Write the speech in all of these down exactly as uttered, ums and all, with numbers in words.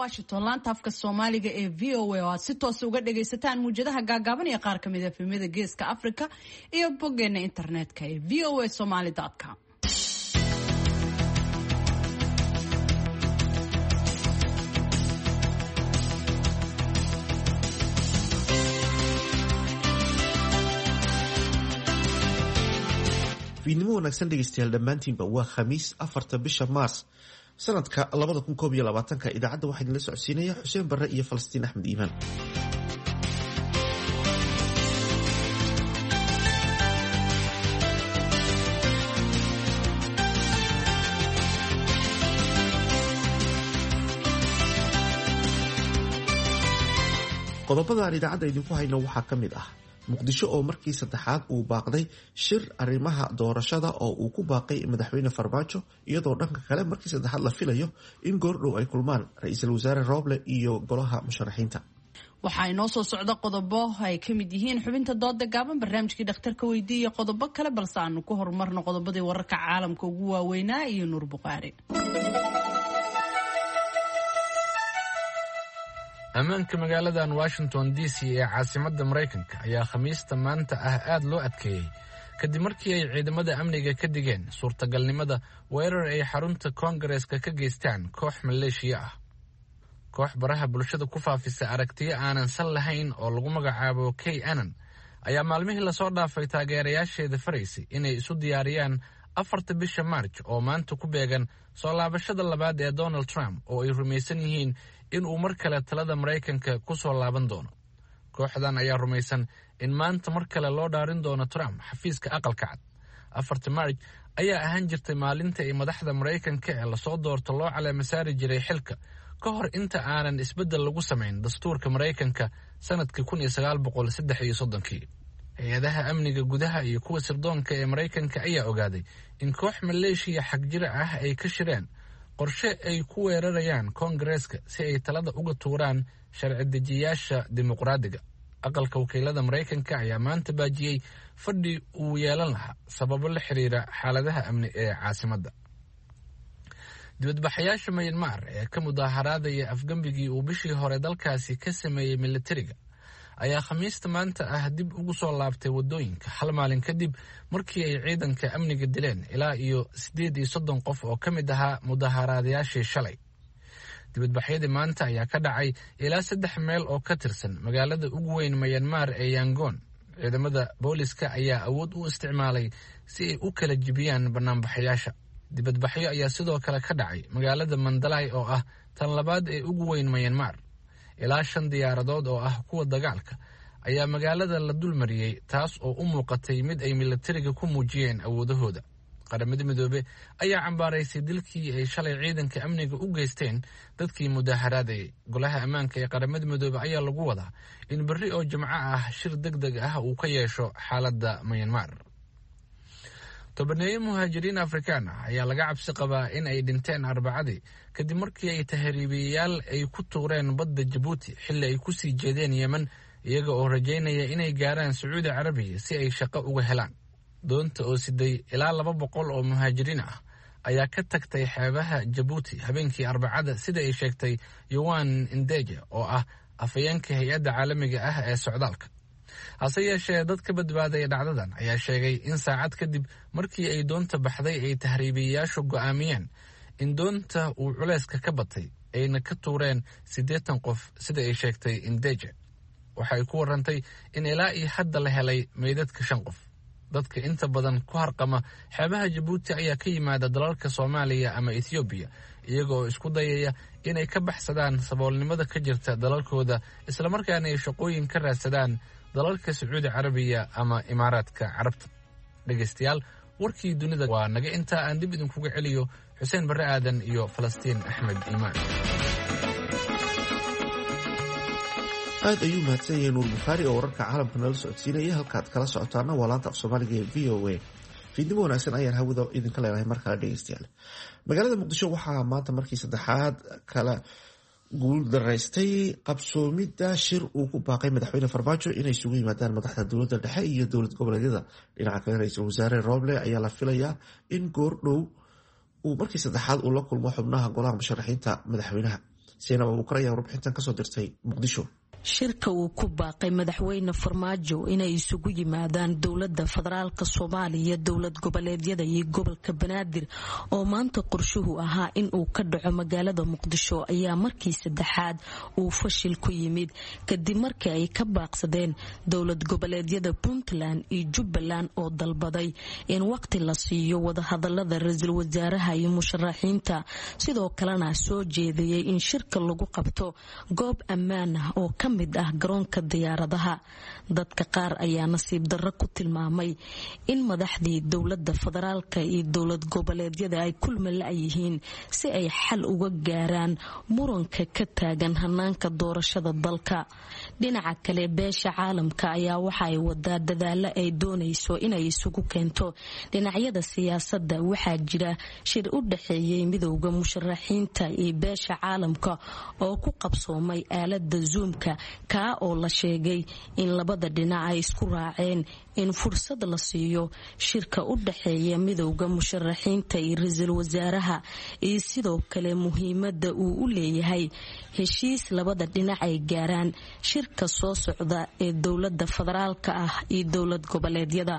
Washington, laanta afka Soomaaliga ee V O A oo aad si toos uga dhagaysataan muwjadaha gaagaaban iyo qaar ka mid ah efemyada Geeska Afrika iyo boggeena internetka ee v o a somali com. Fiidnimo wanaagsan dhegeystayaal dhammaantiinba. Waa Khamiis, afarta bisha Maars sanadka labada kun koob iyo labaatanka. Idaacadda waxaa idinla socodsiinaya Xuseen Barre iyo Falastiin Axmed Iimaan. Qodobada aan idaacadda idinku hayno waxaa ka mid ah Muqdisho oo markii saddexaad uu baaqday shir arrimaha doorashada oo uu ku baaqay Madaxweyne Farmaajo, iyadoo dhanka kale markii saddexaad la filayo in goordhow ay kulmaan Ra-iisul Wasaare Rooble iyo golaha musharaxiinta. Waxaa inoo soo socda qodobo ay ka mid yihiin xubinta dooda gaaban, barnaamijkii dhakhtarka weydiiya iyo qodobo kale, balse aanu ku horumarno qodobadii wararka caalamka ugu waaweynaa iyo Nuur Bukhaari. Ammaanka magaaladan Washington D C ee caasimadda Maraykanka ayaa Khamiista maanta ah aad loo adkeeyey, kadib markii ay ciidamada amniga ka digeen suurtagalnimada weerar ay xarunta koongareeska ka geystaan koox maleeshiya ah. Koox baraha bulshada ku faafisa aragtiyo aanan sal lahayn oo lagu magacaabo QAnon ayaa maalmihii lasoo dhaafay taageerayaasheeda faraysay inay isu diyaariyaan afarta bisha Maarj oo maanta ku beegan soo laabashada labaad ee Donald Trump, oo ay rumaysan yihiin in uu mar kale talada Maraykanka ku soo laaban doono. Kooxdan ayaa rumaysan in maanta mar kale loo dhaarin doono Trump xafiiska Aqalka Cad. Afarta Maarj ayaa ahaan jirtay maalinta ay madaxda Maraykanka ee lasoo doorto loo caleema saari jiray xilka, ka hor inta aanan isbeddel lagu samayn dastuurka Maraykanka sanadkii kun iyo sagaal boqol saddex iyo soddonkii. Hay-adaha amniga gudaha iyo kuwa sirdoonka ee Maraykanka ayaa ogaaday in koox maleeshiya xagjira ah ay ka shireen qorshe ay ku weerarayaan koongareeska si ay talada uga tuuraan sharci dejiyaasha dimuqraadiga. Aqalka Wakiilada Maraykanka ayaa maanta baajiyey fadhi uu yeelan lahaa sababo la xiriira xaaladaha amni ee caasimadda. Dibadbaxayaasha Mayanmar ee ka mudaaharaadaya afgembigii uu bishii hore dalkaasi ka sameeyey militariga ayaa Khamiista maanta ah dib ugu soo laabtay waddooyinka, hal maalin kadib markii ay ciidanka amniga dileen ilaa iyo siddeed iyo soddon qof oo ka mid ahaa mudaaharaadayaashii shalay. Dibadbaxyadii maanta ayaa ka dhacay ilaa saddex meel oo ka tirsan magaalada ugu weyn Mayanmar ee Yangon. Ciidamada booliska ayaa awood u isticmaalay si ay u kala jibiyaan banaanbaxayaasha. Dibadbaxyo ayaa sidoo kale ka dhacay magaalada Mandalay oo ah tan labaad ee ugu weyn Mayanmar. Ilaa shan diyaaradood oo ah kuwa dagaalka ayaa magaalada la dulmariyey, taas oo u muuqatay mid ay militariga ku muujiyeen awoodahooda. Qaramada Midoobe ayaa cambaaraysay dilkii ay shalay ciidanka amniga u geysteen dadkii mudaaharaadayay. Golaha Ammaanka ee Qaramada Midoobe ayaa lagu wadaa in berri oo Jimco ah shir deg deg ah uu ka yeesho xaaladda Mayanmar. Tobaneeyo muhaajiriin Afrikaan ah ayaa laga cabsi qabaa in ay dhinteen Arbacadii, kadib markii ay tahriibiyayaal ay ku tuureen badda Jabuuti xilli ay ku sii jeedeen Yemen, iyaga oo rajaynaya inay gaaraan Sacuudi Carabiya si ay shaqo uga helaan. Doonta oo siday ilaa laba boqol oo muhaajiriin ah ayaa ka tagtay xeebaha Jabuuti habeenkii Arbacada, sida ay sheegtay Yowan Indeje oo ah afhayeenka hay-adda caalamiga ah ee socdaalka. Hase yeeshee, dad ka badbaadaya dhacdadan ayaa sheegay in saacad kadib markii ay doonta baxday ay tahriibiyayaashu go'aamiyeen in doonta uu culayska ka batay, ayna ka tuureen siddeetan qof, sida ay sheegtay Indeje. Waxa ay ku warantay in ilaa iyo hadda la helay meydadka shan qof. Dadka inta badan ku harqama xeebaha Jabuuti ayaa ka yimaada dalalka Soomaaliya ama Ethoobiya, iyaga oo isku dayaya inay ka baxsadaan saboolnimada ka jirta dalalkooda, islamarkaana ay shaqooyin ka raadsadaan dalalka Sacuudi Carabiya ama Imaaraadka Carabta. Dhegaystayaal, warkii dunida waa naga intaa. Aan dib idinkuga celiyo Xuseen Barre Aadan iyo Falastiin Axmed Iimaan. Aad ayuu mahadsan yahay Nuur Bukhaari oo wararka caalamka nala socodsiinaya. Halkaad kala socotaana waa laanta af Soomaaliga ee V O A. Fiidnimo wanaagsan ayaan hawada idinka leenahay mar kale dhegeystayaal. Magaalada Muqdisho waxaa maanta markii saddexaad kala guuldaraystay qabsoomidda shir uu ku baaqay Madaxweyne Farmaajo inay isugu yimaadaan madaxda dowladda dhexe iyo dowlad goboleedyada. Dhinaca kale, Ra-iisul Wasaare Rooble ayaa la filayaa in goordhow uu markii saddexaad uu la kulmo xubnaha golaha musharaxiinta madaxweynaha. Saynab Abuukar ayaa warbixintan kasoo dirtay Muqdisho. Shirka uu ku baaqay madaxweyne Farmaajo inay isugu yimaadaan dowlada federaalka Soomaaliya, dowlad goboleedyada iyo gobolka Banaadir oo maanta qorshuhu ahaa in uu ka dhaco magaalada Muqdisho ayaa markii saddexaad uu fashil ku yimid kadib markii ay ka baaqsadeen dowlad goboleedyada Puntland iyo Jubbaland oo dalbaday in waqti la siiyo wadahadalada ra-iisul wasaaraha iyo musharaxiinta, sidoo kalena soo jeediyey in shirka lagu qabto goob ammaan ah oo ka mid ah garoonka diyaaradaha. Dadka qaar ayaa nasiib darro ku tilmaamay in madaxdii dowlada federaalka iyo dowlad goboleedyada ay kulma la-yihiin si ay xal uga gaaraan muranka ka taagan hanaanka doorashada dalka. Dhinaca kale, beesha caalamka ayaa waxa ay wadaa dadaalo ay doonayso inay isugu keento dhinacyada siyaasadda. Waxaa jira shir u dhexeeyay midowda musharaxiinta iyo beesha caalamka oo ku qabsoomay aalada Zoomka, kaa oo la sheegay in labada dhinac ay isku raaceen in fursad la siiyo shirka u dhexeeya midowda musharaxiinta iyo ra-iisul wasaaraha, iyo sidoo kale muhiimada uu u leeyahay heshiis labada dhinac ay gaaraan shirka soo socda ee dowlada federaalka ah iyo dowlad goboleedyada.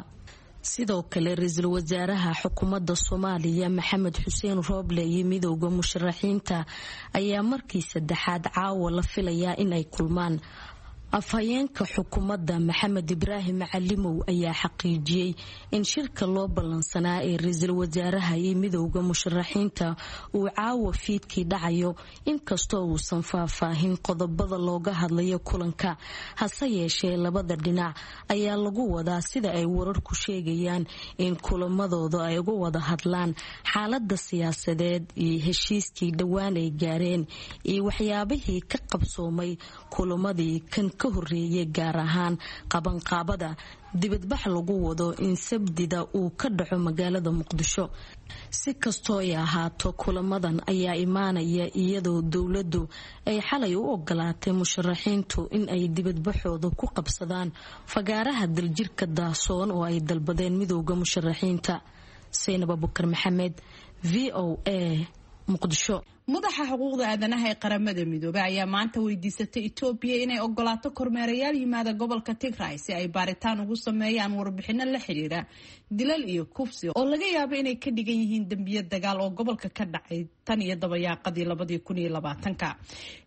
Sidoo kale, ra-iisul wasaaraha xukuumadda Soomaaliya Maxamed Xuseen Rooble iyo midowda musharaxiinta ayaa markii saddexaad caawa la filayaa inay kulmaan. Afhayeenka xukuumadda Maxamed Ibraahim Macalimow ayaa xaqiijiyey in shirka loo ballansanaa ee ra-iisul wasaaraha iyo midowda musharaxiinta uu caawa fiidkii dhacayo, inkastoo uusan faahfaahin qodobada looga hadlayo kulanka. Hase yeeshee, labada dhinac ayaa lagu wadaa, sida ay wararku sheegayaan, in kulamadooda ay uga wada hadlaan xaalada siyaasadeed iyo heshiiskii dhowaan ay gaareen iyo waxyaabihii ka qabsoomay kulamadii kan ka horeeyay, gaar ahaan qabanqaabada dibadbax lagu wado in Sabdida uu ka dhaco magaalada Muqdisho. Si kastoo ay ahaato, kulamadan ayaa imaanaya iyadoo dowladdu ay xalay u ogolaatay musharaxiintu in ay dibadbaxooda ku qabsadaan fagaaraha Daljirka Daasoon oo ay dalbadeen midowda musharaxiinta. Saynab Abukar Maxamed, V O A, Muqdisho. Madaxa xuquuqda aadanaha ee Qaramada Midoobey ayaa maanta weydiisatay Etoobiya inay ogolaato kormeerayaal yimaada gobolka Tigray si ay baaritaan ugu sameeyaan warbixino la xiriira dilal iyo kufsi oo laga yaabo inay ka dhigan yihiin dembiyo dagaal oo gobolka ka dhacay tan iyo dabayaaqadii labadii kun iyo labaatanka.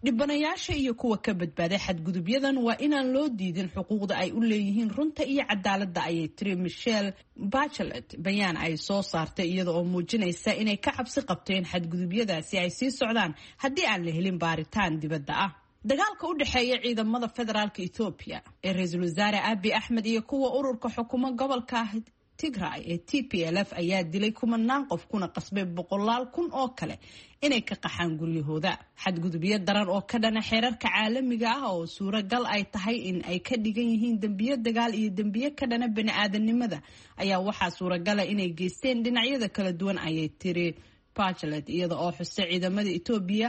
Dhibanayaasha iyo kuwa ka badbaaday xadgudubyadan waa inaan loo diidin xuquuqda ay u leeyihiin runta iyo cadaaladda, ayay tiri Michelle Bachelet bayaan ay soo saartay, iyada oo muujinaysa inay ka cabsi qabto in xadgudubyadaasi ay sii socdaan haddii aan la helin baaritaan dibadda ah. Dagaalka u dhexeeya ciidamada federaalka Etoobiya ee ra-iisul wasaare Abi Axmed iyo kuwa ururka xukumo gobolka Tigray ee T P L F ayaa dilay kumanaan qof kuna qasbay boqolaal kun oo kale inay ka qaxaan guryahooda. Xadgudubyo daran oo ka dhana xeerarka caalamiga ah oo suuragal ay tahay in ay ka dhigan yihiin dembiyo dagaal iyo dembiyo ka dhana bani-aadanimada ayaa waxaa suuragala inay geysteen dhinacyada kala duwan, ayay tiri Bachelet, iyada oo xustay ciidamada Etoobiya,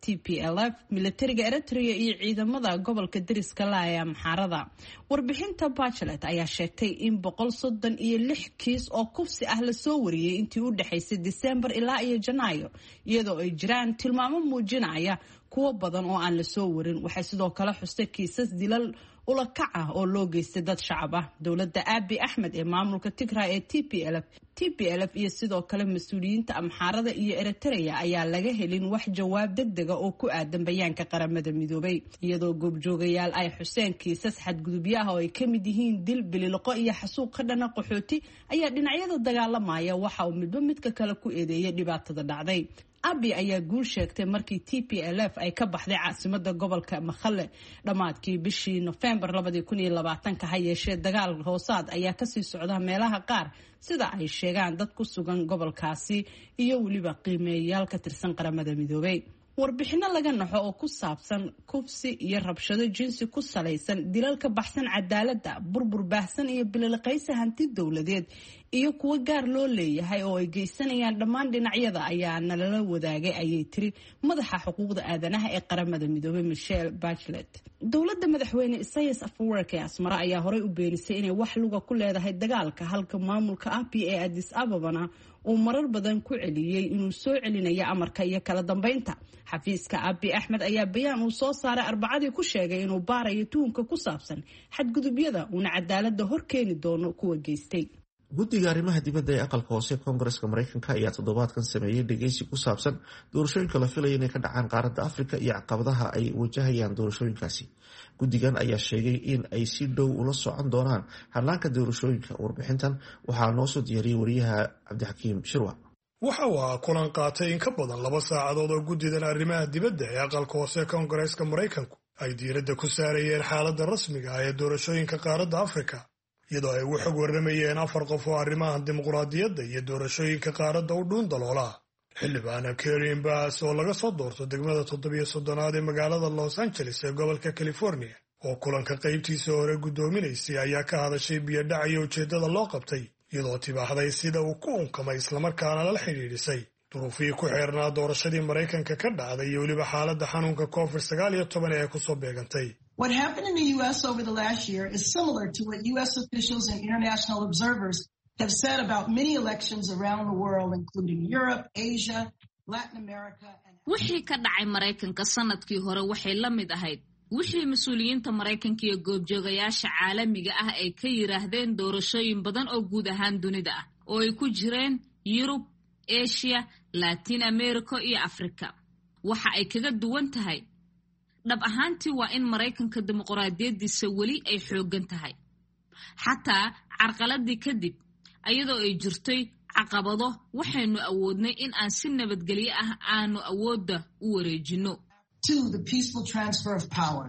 T P L F, militariga Eritrea iyo ciidamada gobolka deriska la ee Amxaarada. Warbixinta Bachelet ayaa sheegtay in boqol soddon iyo lix kiis oo kufsi ah lasoo wariyey intii u dhexaysay Disembar ilaa iyo Janaayo, iyadoo ay jiraan tilmaamo muujinaya kuwo badan oo aan lasoo warin. Waxay sidoo kale xustay kiisas dilal ula kac ah oo loo geystay dad shacab ah. Dowladda Abi Axmed ee maamulka Tigray ee T P L F T P L F iyo sidoo kale mas-uuliyiinta Amxaarada iyo Eritrea ayaa laga helin wax jawaab degdega oo ku aadan bayaanka Qaramada Midoobay, iyadoo goobjoogayaal ay xuseen kiisas xadgudubyo ah oo ay ka mid yihiin dil, bililoqo iyo xasuuq ka dhana qaxooti ayaa dhinacyada dagaalamaya waxa uu midba midka kale ku eedeeyay dhibaatada dhacday. Abi ayaa guul sheegtay markii T P L F ay ka baxday caasimada gobolka Makhale dhammaadkii bishii Nofembar labadii kun iyo labaatanka. Ha yeeshee, dagaal hoosaad ayaa kasii socda meelaha qaar, sida ay sheegaan dad ku sugan gobolkaasi iyo weliba qiimeeyayaal ka tirsan Qaramada Midoobay. Warbixino laga naxo oo ku saabsan kufsi iyo rabshado jinsi ku salaysan, dilal ka baxsan cadaaladda, burbur baahsan iyo bililiqaysi hanti dowladeed iyo kuwo gaar loo leeyahay oo ay geysanayaan dhammaan dhinacyada ayaa nalala wadaagay, ayay tiri madaxa xuquuqda aadanaha ee Qaramada Midoobay Michelle Bachelet. Dowladda madaxweyne Isaias Afwerki ee Asmara ayaa horey u beenisay inay wax luga ku leedahay dagaalka, halka maamulka Abiy ee Addis Ababana uu marar badan ku celiyey inuu soo celinayo amarka iyo kala dambeynta. Xafiiska Abiy Axmed ayaa bayaan uu soo saaray Arbacadii ku sheegay inuu baarayo tuhunka ku saabsan xadgudubyada, uuna cadaaladda hor keeni doono kuwa geystay. Guddiga arrimaha dibadda ee aqalka hoose Koongareska Mareykanka ayaa toddobaadkan sameeyey dhegeysi ku saabsan doorashooyinka la filaya inay ka dhacaan qaaradda Afrika iyo caqabadaha ay wajahayaan doorashooyinkaasi. Guddigan ayaa sheegay in ay si dhow ula socon doonaan hanaanka doorashooyinka. Warbixintan waxaa noo soo diyaariyey wariyaha Cabdixakiim Shirwa. Waxa uu ahaa kulan qaatay in ka badan laba saacadood oo guddidan arrimaha dibadda ee aqalka hoose Koongareeska Maraykanku ay diiradda ku saarayeen xaaladda rasmiga ah ee doorashooyinka qaaradda Afrika, iyadoo ay ugu xog warramayeen afar qof oo arrimaha dimuqraadiyadda iyo doorashooyinka qaaradda u dhuun daloola. Xildhibaana Karen Bass oo laga soo doorto degmada toddobiyo soddonaad ee magaalada Los Angeles ee gobolka California, oo kulanka qaybtiisa hore guddoominaysay, ayaa ka hadashay biyodhac iyo ujeeddada loo qabtay, iyadoo tibaaxday sida uu ku unkamay islamarkaana lala xidhiidhisay duruufihii ku xeernaa doorashadii Maraykanka ka dhacday iyo weliba xaaladda xanuunka Covid sagaal iyo toban ee kusoo beegantay. What happened in the U S over the last year is similar to what U S officials and international observers have said about many elections around the world, including Europe, Asia, Latin America. And Wixii ka dhacay Maraykanka sanadkii hore waxay la mid ahayd wixii mas-uuliyiinta Maraykanka iyo goobjoogayaasha caalamiga ah ay ka yiraahdeen doorashooyin badan oo guud ahaan dunida ah, oo ay ku jireen Yurub, Asia, Latin America iyo Africa. Waxa ay kaga duwan tahay dhab ahaantii waa in Maraykanka dimuqraadiyaddiisa weli ay xooggan tahay, xataa carqaladii kadib. Ayadoo ay jirtay caqabado, waxaynu awoodnay in aan si nabadgelyo ah aanu awoodda u wareejinno. to the peaceful transfer of power.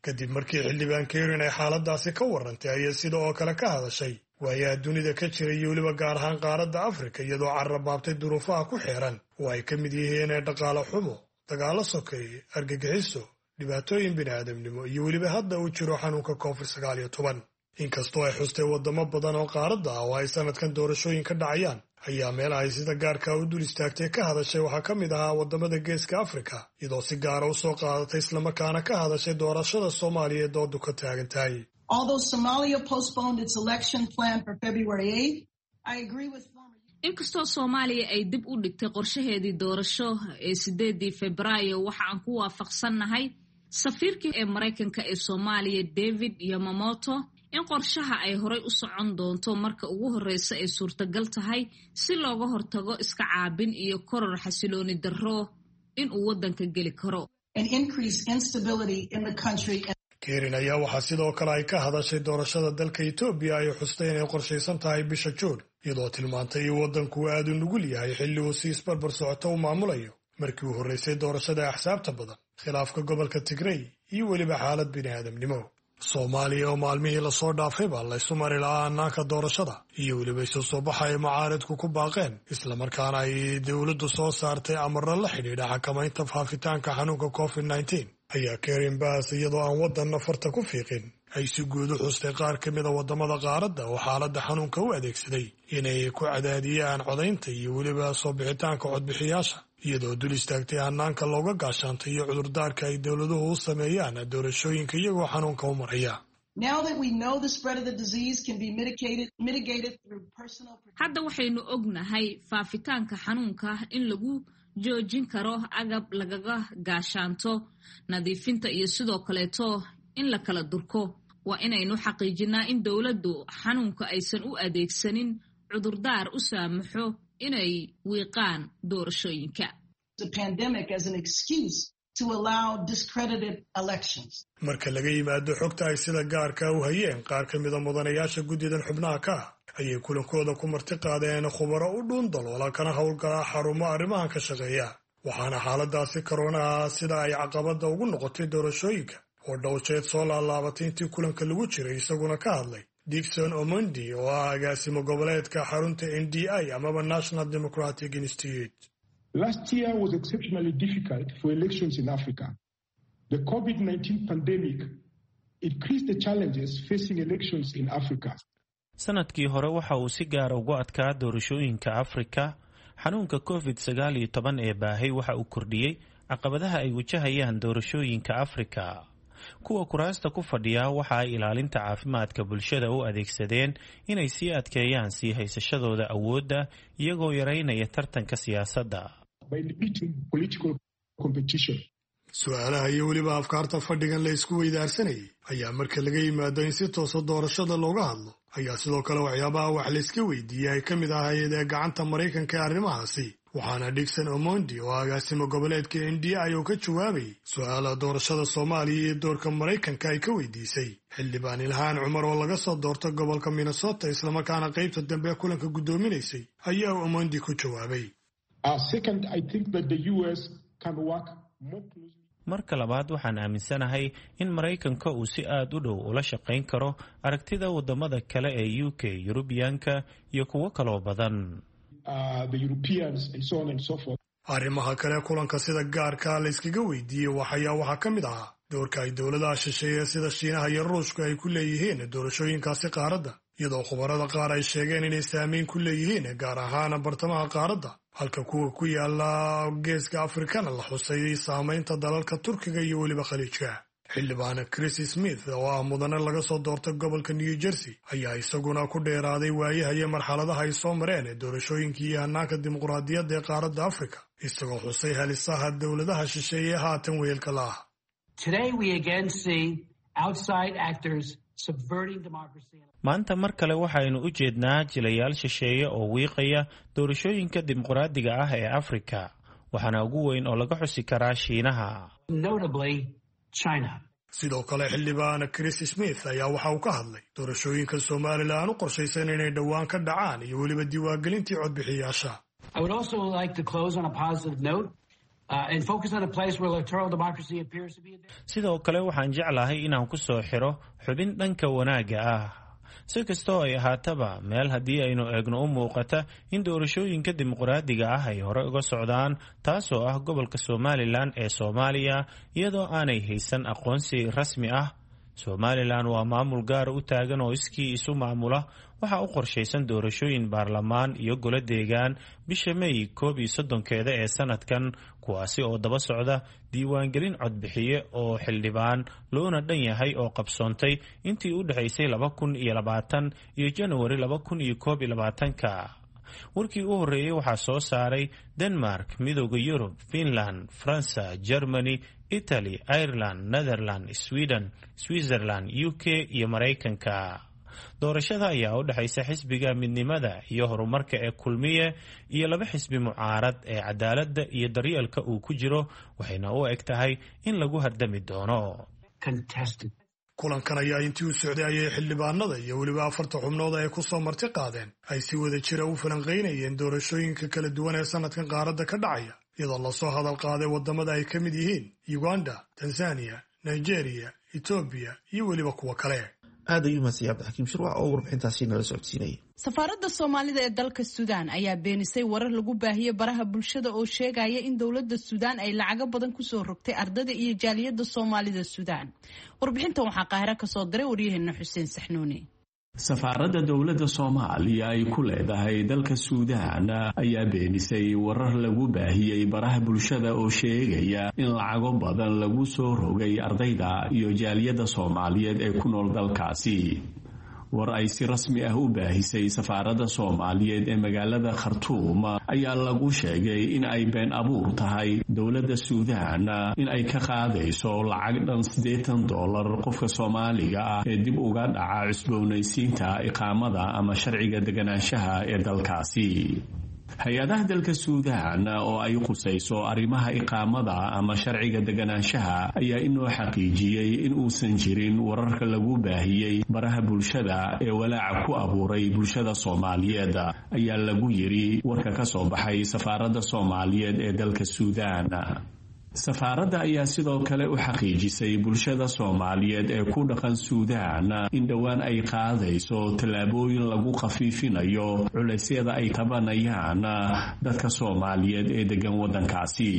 Kadib markii xildhibaan Karen ay xaaladaasi ka warrantay, ayay sida oo kale ka hadashay waayaha dunida ka jira iyo weliba gaar ahaan qaaradda Afrika, iyadoo carrabaabtay duruufaha ku xeeran oo ay ka mid yihiin dhaqaale xumo, dagaallo sokeeye, argagixiso, dhibaatooyin bini'aadamnimo iyo weliba hadda uu jiro xanuunka Covid sagaal iyo toban. Inkastoo ay xustay waddamo badan oo qaaradda ah oo ay sanadkan doorashooyin ka dhacayaan, ayaa meel ay sida gaarka u dul istaagtay ka hadashay waxaa ka mid ahaa waddamada Geeska Afrika, iyadoo si gaara u soo qaadatay islamarkaana ka hadashay doorashada Soomaaliya ee doodu ka taagan tahay. Although Somalia postponed its election plan for February eighth, I agree with former Inkastoo Soomaaliya ay dib u dhigtay qorshaheedii doorasho ee sideedii Febraayo, waxa aan ku waafaqsannahay safiirkii ee Maraykanka ee Soomaaliya David Yamamoto in qorshaha ay horay u socon doonto marka ugu horreysa ay suurtagal tahay, si looga hortago iska caabin iyo koror xasilooni darro in uu waddanka geli karo. and increase instability in the country. Karen ayaa waxaa sidoo kale ay ka hadashay doorashada dalka Etoobiya ay xustay inay qorshaysan tahay bisha Juun, iyadoo tilmaantay in waddanku aad u nugul yahay xilli uu si isbarbar socoto u maamulayo markii uu horraysay doorashada axsaabta badan, khilaafka gobolka Tigrey iyo weliba xaalad bini'aadamnimo. Soomaaliya oo maalmihii lasoo dhaafayba laysu mari lahaa hannaanka doorashada iyo weliba isu soo baxa ay mucaaradku ku baaqeen, islamarkaana ay dowladdu soo saartay amarro la xidhiidha xakamaynta faafitaanka xanuunka Covid nineteen, ayaa Karen Bass, iyadoo aan waddanna farta ku fiiqin, ay si guud u xustay qaar ka mida waddamada qaaradda oo xaaladda xanuunka u adeegsaday inay ku cadaadiyaan codaynta iyo weliba soo bixitaanka codbixiyaasha, iyadoo dul istaagtay hannaanka looga gaashaantay iyo cudurdaarka ay dowladuhu u sameeyaan doorashooyinka iyagoo xanuunka u maraya. Now that we know the spread of the disease can be mitigated, mitigated through personal Hadda waxaynu ognahay faafitaanka xanuunka in lagu joojin karo agab lagaga gaashaanto, nadiifinta iyo sidoo kaleeto in la kala durko. Waa inaynu xaqiijinaa in dowladdu xanuunka aysan u adeegsanin cudurdaar u saamaxo inay wiiqaan doorashooyinka. the pandemic as an excuse to allow discredited elections. Marka laga yimaado xogta ay sida gaarka u hayeen qaar ka mida mudanayaasha guddidan xubnaha ka ah, ayay kulankooda ku marti qaadeen khubaro u dhuun daloola kana howlgala xarumo arrimahan ka shaqeeya, waxaana xaaladaasi koroonaha sida ay caqabadda ugu noqotay doorashooyinka oo dhowjeed soo laalaabatay intii kulanka lagu jiray isaguna ka hadlay Dixon Omondi, oo ah agaasimo goboleedka xarunta N D I amaba National Democratic Institute. Last year was exceptionally difficult for elections in Africa. The COVID nineteen pandemic increased the challenges facing elections in Africa. Sanadkii hore waxa uu si gaara ugu adkaa doorashooyinka Afrika. Xanuunka covid sagaal iyo toban ee baahay waxa uu kordhiyey caqabadaha ay wajahayaan doorashooyinka Afrika. Kuwa kuraasta ku fadhiya waxa ay ilaalinta caafimaadka bulshada u adeegsadeen inay sii adkeeyaan sii haysashadooda awoodda, iyagoo yaraynaya tartanka siyaasadda. Su-aalaha iyo weliba afkaarta fadhigan la isku weydaarsanayay ayaa marka laga yimaado in si toosa doorashada looga hadlo, ayaa sidoo kale waxyaabaha wax layska weydiiyey ay ka mid ahayd ee gacanta Maraykanka ee arrimahaasi. Waxaana Dixon Omondi oo agaasimo goboleedka N D I oo ka jawaabayay su-aalaha doorashada Soomaaliya iyo doorka Maraykanka ay ka weydiisay xildhibaan Ilhaan Cumar oo laga soo doorto gobolka Minnesota, islamarkaana qaybta dambe ee kulanka guddoominaysay, ayaa Omondi ku jawaabay. Marka labaad, waxaan aaminsanahay in Maraykanka uu si aad u dhow ula shaqayn karo aragtida wadamada kale ee U K, Yurubiyaanka iyo kuwo kaloo badan. Arrimaha kale kulanka sida gaarka la iskaga weydiiyey waxayaa waxaa ka mid ahaa doorka ay dowladaha shisheeye sida Shiinaha iyo Ruushku ay ku leeyihiin doorashooyinkaasi qaaradda, iyadoo khubarada qaar ay sheegeen inay saameyn ku leeyihiin gaar ahaan bartamaha qaaradda, halka kuwa ku yaala geeska Afrikana la xusay saamaynta dalalka Turkiga iyo weliba Khaliijka. Xildhibaan Chris Smith oo ah mudane laga soo doortay gobolka New Jersey ayaa isaguna ku dheeraaday waayaha iyo marxaladaha ay soo mareen doorashooyinkii iyo hannaanka dimuqraadiyadda ee qaaradda Afrika, isagoo xusay halisaha dowladaha shisheeye haatan weelka la ah. Maanta mar kale waxaynu u jeednaa jilayaal shisheeye oo wiiqaya doorashooyinka dimuqraadiga ah ee Afrika, waxaana ugu weyn oo laga xusi karaa Shiinaha. Sidoo kale xildhibaan Chris Smith ayaa waxa uu ka hadlay doorashooyinka Somalilan u qorshaysan inay dhowaan ka dhacaan iyo weliba diiwaangelintii codbixiyaasha. Sidoo kale waxaan jeclahay inaan ku soo xiro xubin dhanka wanaagga ah. Si kastoo ay ahaataba, meel haddii aynu eegno u muuqata in doorashooyinka dimuqraadiga ah ay hore uga socdaan, taasoo ah gobolka Somalilan ee Soomaaliya, iyadoo aanay haysan aqoonsi rasmi ah. Somalilan waa maamul gaar u taagan oo iskii isu maamula. Waxaa u qorshaysan doorashooyin baarlamaan iyo golo deegaan bisha May koob iyo soddonkeeda ee sanadkan, kuwaasi oo daba socda diiwaangelin codbixiye oo xildhibaan loona dhan yahay oo qabsoontay intii u dhexaysay laba kun iyo labaatan iyo Januari laba kun iyo koob iyo labaatanka. Warkii u horreeyey waxaa soo saaray Denmark, Midooda Yurub, Finland, Faransa, Germany, Italy, Ireland, Netherland, Sweden, Switzerland, U K iyo Maraykanka. Doorashada ayaa u dhexaysa xisbiga Midnimada iyo Horumarka ee Kulmiye iyo laba xisbi mucaarad ee Cadaaladda iyo Daryeelka uu ku jiro, waxayna u eg tahay in lagu hardami doono. Kulankan ayaa intii u socday ayay xildhibaanada iyo weliba afarta xubnood ay ku soo marti qaadeen ay si wada jira u falanqaynayeen doorashooyinka kala duwan ee sanadkan qaaradda ka dhacaya, iyadoo lasoo hadal qaaday waddamada ay ka mid yihiin Uganda, Tanzania, Nigeria, Etoobiya iyo weliba kuwa kale. Aad ayuu mahadsan Cabdixakiim Shirwac oo warbixintaasi nala socodsiinayay. Safaaradda Soomaalida ee dalka Suudaan ayaa beenisay warar lagu baahiyey baraha bulshada oo sheegaya in dowladda Suudaan ay lacago badan kusoo rogtay ardada iyo jaaliyadda Soomaalida Suudaan. Warbixintan waxaa Qaahiro kasoo diray waryaheena Xuseen Saxnuuni. Safaaradda dowladda Soomaaliya ay ku leedahay dalka Suudaan ayaa beenisay warar lagu baahiyey baraha bulshada oo sheegaya in lacago badan lagu soo rogay ardayda iyo jaaliyadda Soomaaliyeed ee ku nool dalkaasi. War ay si rasmi ah u baahisay safaaradda Soomaaliyeed ee magaalada Khartuum ayaa lagu sheegay in ay been abuur tahay dowladda Suudaan in ay ka qaadayso lacag dhan siddeetan dollar qofka Soomaaliga ah ee dib uga dhaca cusboonaysiinta iqaamada ama sharciga deganaanshaha ee dalkaasi. Hay-adaha dalka Suudaan oo ay qusayso arrimaha iqaamada ama sharciga deganaanshaha ayaa inoo xaqiijiyey in uusan jirin wararka lagu baahiyey baraha bulshada ee walaaca ku abuuray bulshada Soomaaliyeed, ayaa lagu yiri warka ka soo baxay safaaradda Soomaaliyeed ee dalka Suudaan. Safaaradda ayaa sidoo kale u xaqiijisay bulshada Soomaaliyeed ee ku dhaqan Suudaan in dhowaan ay qaadayso tallaabooyin lagu khafiifinayo culaysyada ay tabanayaan dadka Soomaaliyeed ee degan waddankaasi.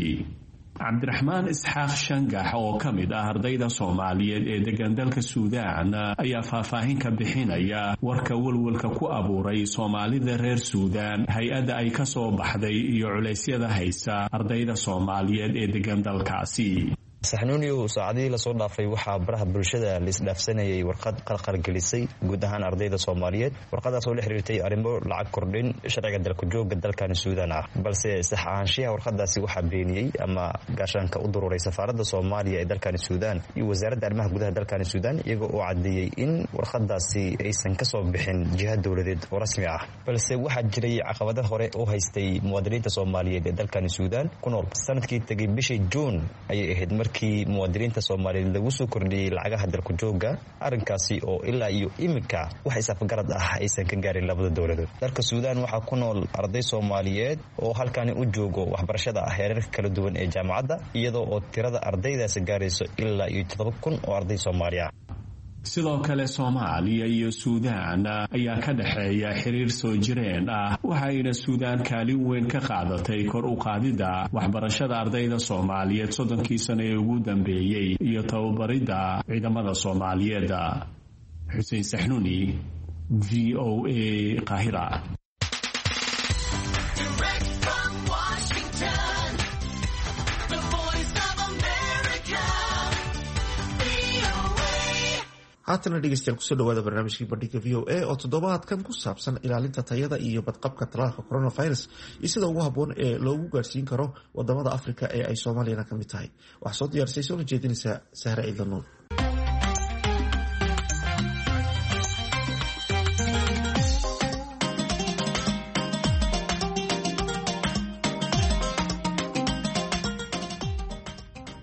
Cabdiraxmaan Isxaaq Shangax oo ka mid ah ardayda Soomaaliyeed ee degan dalka Suudaan ayaa faahfaahin ka bixinaya warka walwalka ku abuuray Soomaalida reer Suudaan, hay-adda ay ka soo baxday iyo culeysyada haysa ardayda Soomaaliyeed ee degan dalkaasi. Saxnuuniyow, saacadihii lasoo dhaafay waxaa baraha bulshada la isdhaafsanayay warqad qalqalgelisay guud ahaan ardayda Soomaaliyeed, warqadaas oo la xiriirtay arrimo lacag kordhin sharciga dalkujooga dalkan Suudaan ah. Balse sax ahaanshiyaha warqadaasi waxaa beeniyey ama gaashaanka u dururay safaaradda Soomaaliya ee dalkani Suudaan iyo wasaaradda arrimaha gudaha dalkani Suudaan, iyagoo oo caddeeyey in warqadaasi aysan kasoo bixin jiha dowladeed oo rasmi ah. Balse waxaa jiray caqabado hore oo haystay muwaadiniinta Soomaaliyeed ee dalkani Suudaan ku nool. Sanadkii tegay bishii Juun ayay ahayd markii muwaadiniinta Soomaaliyeed lagu soo kordhiyey lacagaha dalkujooga, arrinkaasi oo ilaa iyo iminka wax isafgarad ah aysan ka gaarin labada dowladood. Dalka Suudaan waxaa ku nool arday Soomaaliyeed oo halkani u joogo waxbarashada heerarka kala duwan ee jaamacadda, iyadoo oo tirada ardaydaasi gaarayso ilaa iyo toddoba kun oo arday Soomaali ah. Sidoo kale Soomaaliya iyo Suudaan ayaa ka dhexeeya xiriir soo jireen ah, waxayna Suudaan kaalin weyn ka qaadatay kor u qaadidda waxbarashada ardayda Soomaaliyeed soddonkii sano ee ugu dambeeyey iyo tababaridda ciidamada Soomaaliyeed. Xuseen Saxnuuni, V O A, Qaahira. Haatana dhegeystayaal, kusoo dhawaada barnaamijkii Bandhiga V O A oo toddobaadkan ku saabsan ilaalinta tayada iyo badqabka talaalka coronavirus iyo sida ugu habboon ee loogu gaarsiin karo wadamada Afrika ee ay Soomaaliyana ka mid tahay. Waxaa soo diyaarisay soona jeedinaysaa Sahre Ciidla Nuur.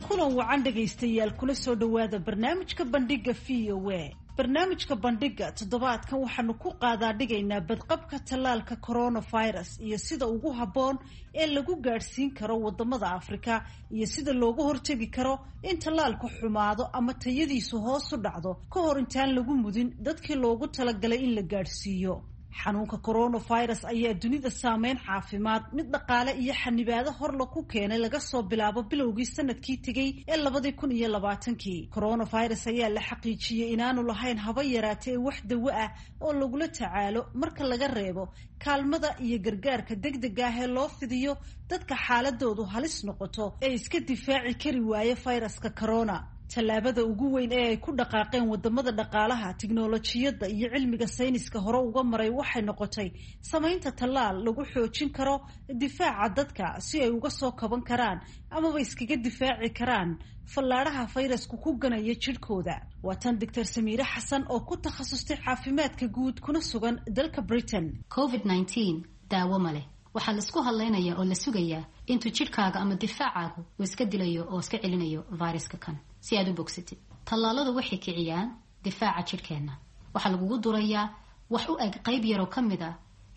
Kulan wacan dhegaystayaal, kula soo dhowaada barnaamijka Bandhiga V O A. Barnaamijka Bandhiga toddobaadkan waxaanu ku qaadaa dhigaynaa badqabka tallaalka coronavirus iyo sida ugu habboon ee lagu gaadhsiin karo wadamada Afrika iyo sida looga hortegi karo in tallaalku xumaado ama tayadiisu hoos u dhacdo ka hor intaan lagu mudin dadkii loogu talagalay in la gaadhsiiyo. Xanuunka coronavirus ayaa dunida saameyn caafimaad, mid dhaqaale iyo xanibaado horla ku keenay laga soo bilaabo bilowgii sanadkii tegey ee labadii kun iyo labaatankii. Coronavirus ayaa la xaqiijiyey inaanu lahayn haba yaraatee wax dawo ah oo lagula tacaalo marka laga reebo kaalmada iyo gargaarka degdega ah ee loo fidiyo dadka xaaladoodu halis noqoto ee iska difaaci kari waaya fayraska corona. Tallaabada ugu weyn ee ay ku dhaqaaqeen wadamada dhaqaalaha, tiknolojiyadda iyo cilmiga sayniska hore uga maray waxay noqotay samaynta tallaal lagu xoojin karo difaaca dadka si ay uga soo kaban karaan amaba iskaga difaaci karaan fallaadhaha fayrasku ku ganaya jidhkooda. Waa tan Doctor Samiire Xasan oo ku takhasustay caafimaadka guud kuna sugan dalka Britain. covid nineteen daawo ma leh. Waxaa laisku hadlaynayaa oo la sugayaa intuu jidhkaaga ama difaacaagu uu iska dilayo oo iska celinayo viruska kan si aad u bogsatid. Tallaaladu waxay kiciyaan difaaca jidhkeenna. Waxaa lagugu durayaa wax u eg qayb yaroo ka mid a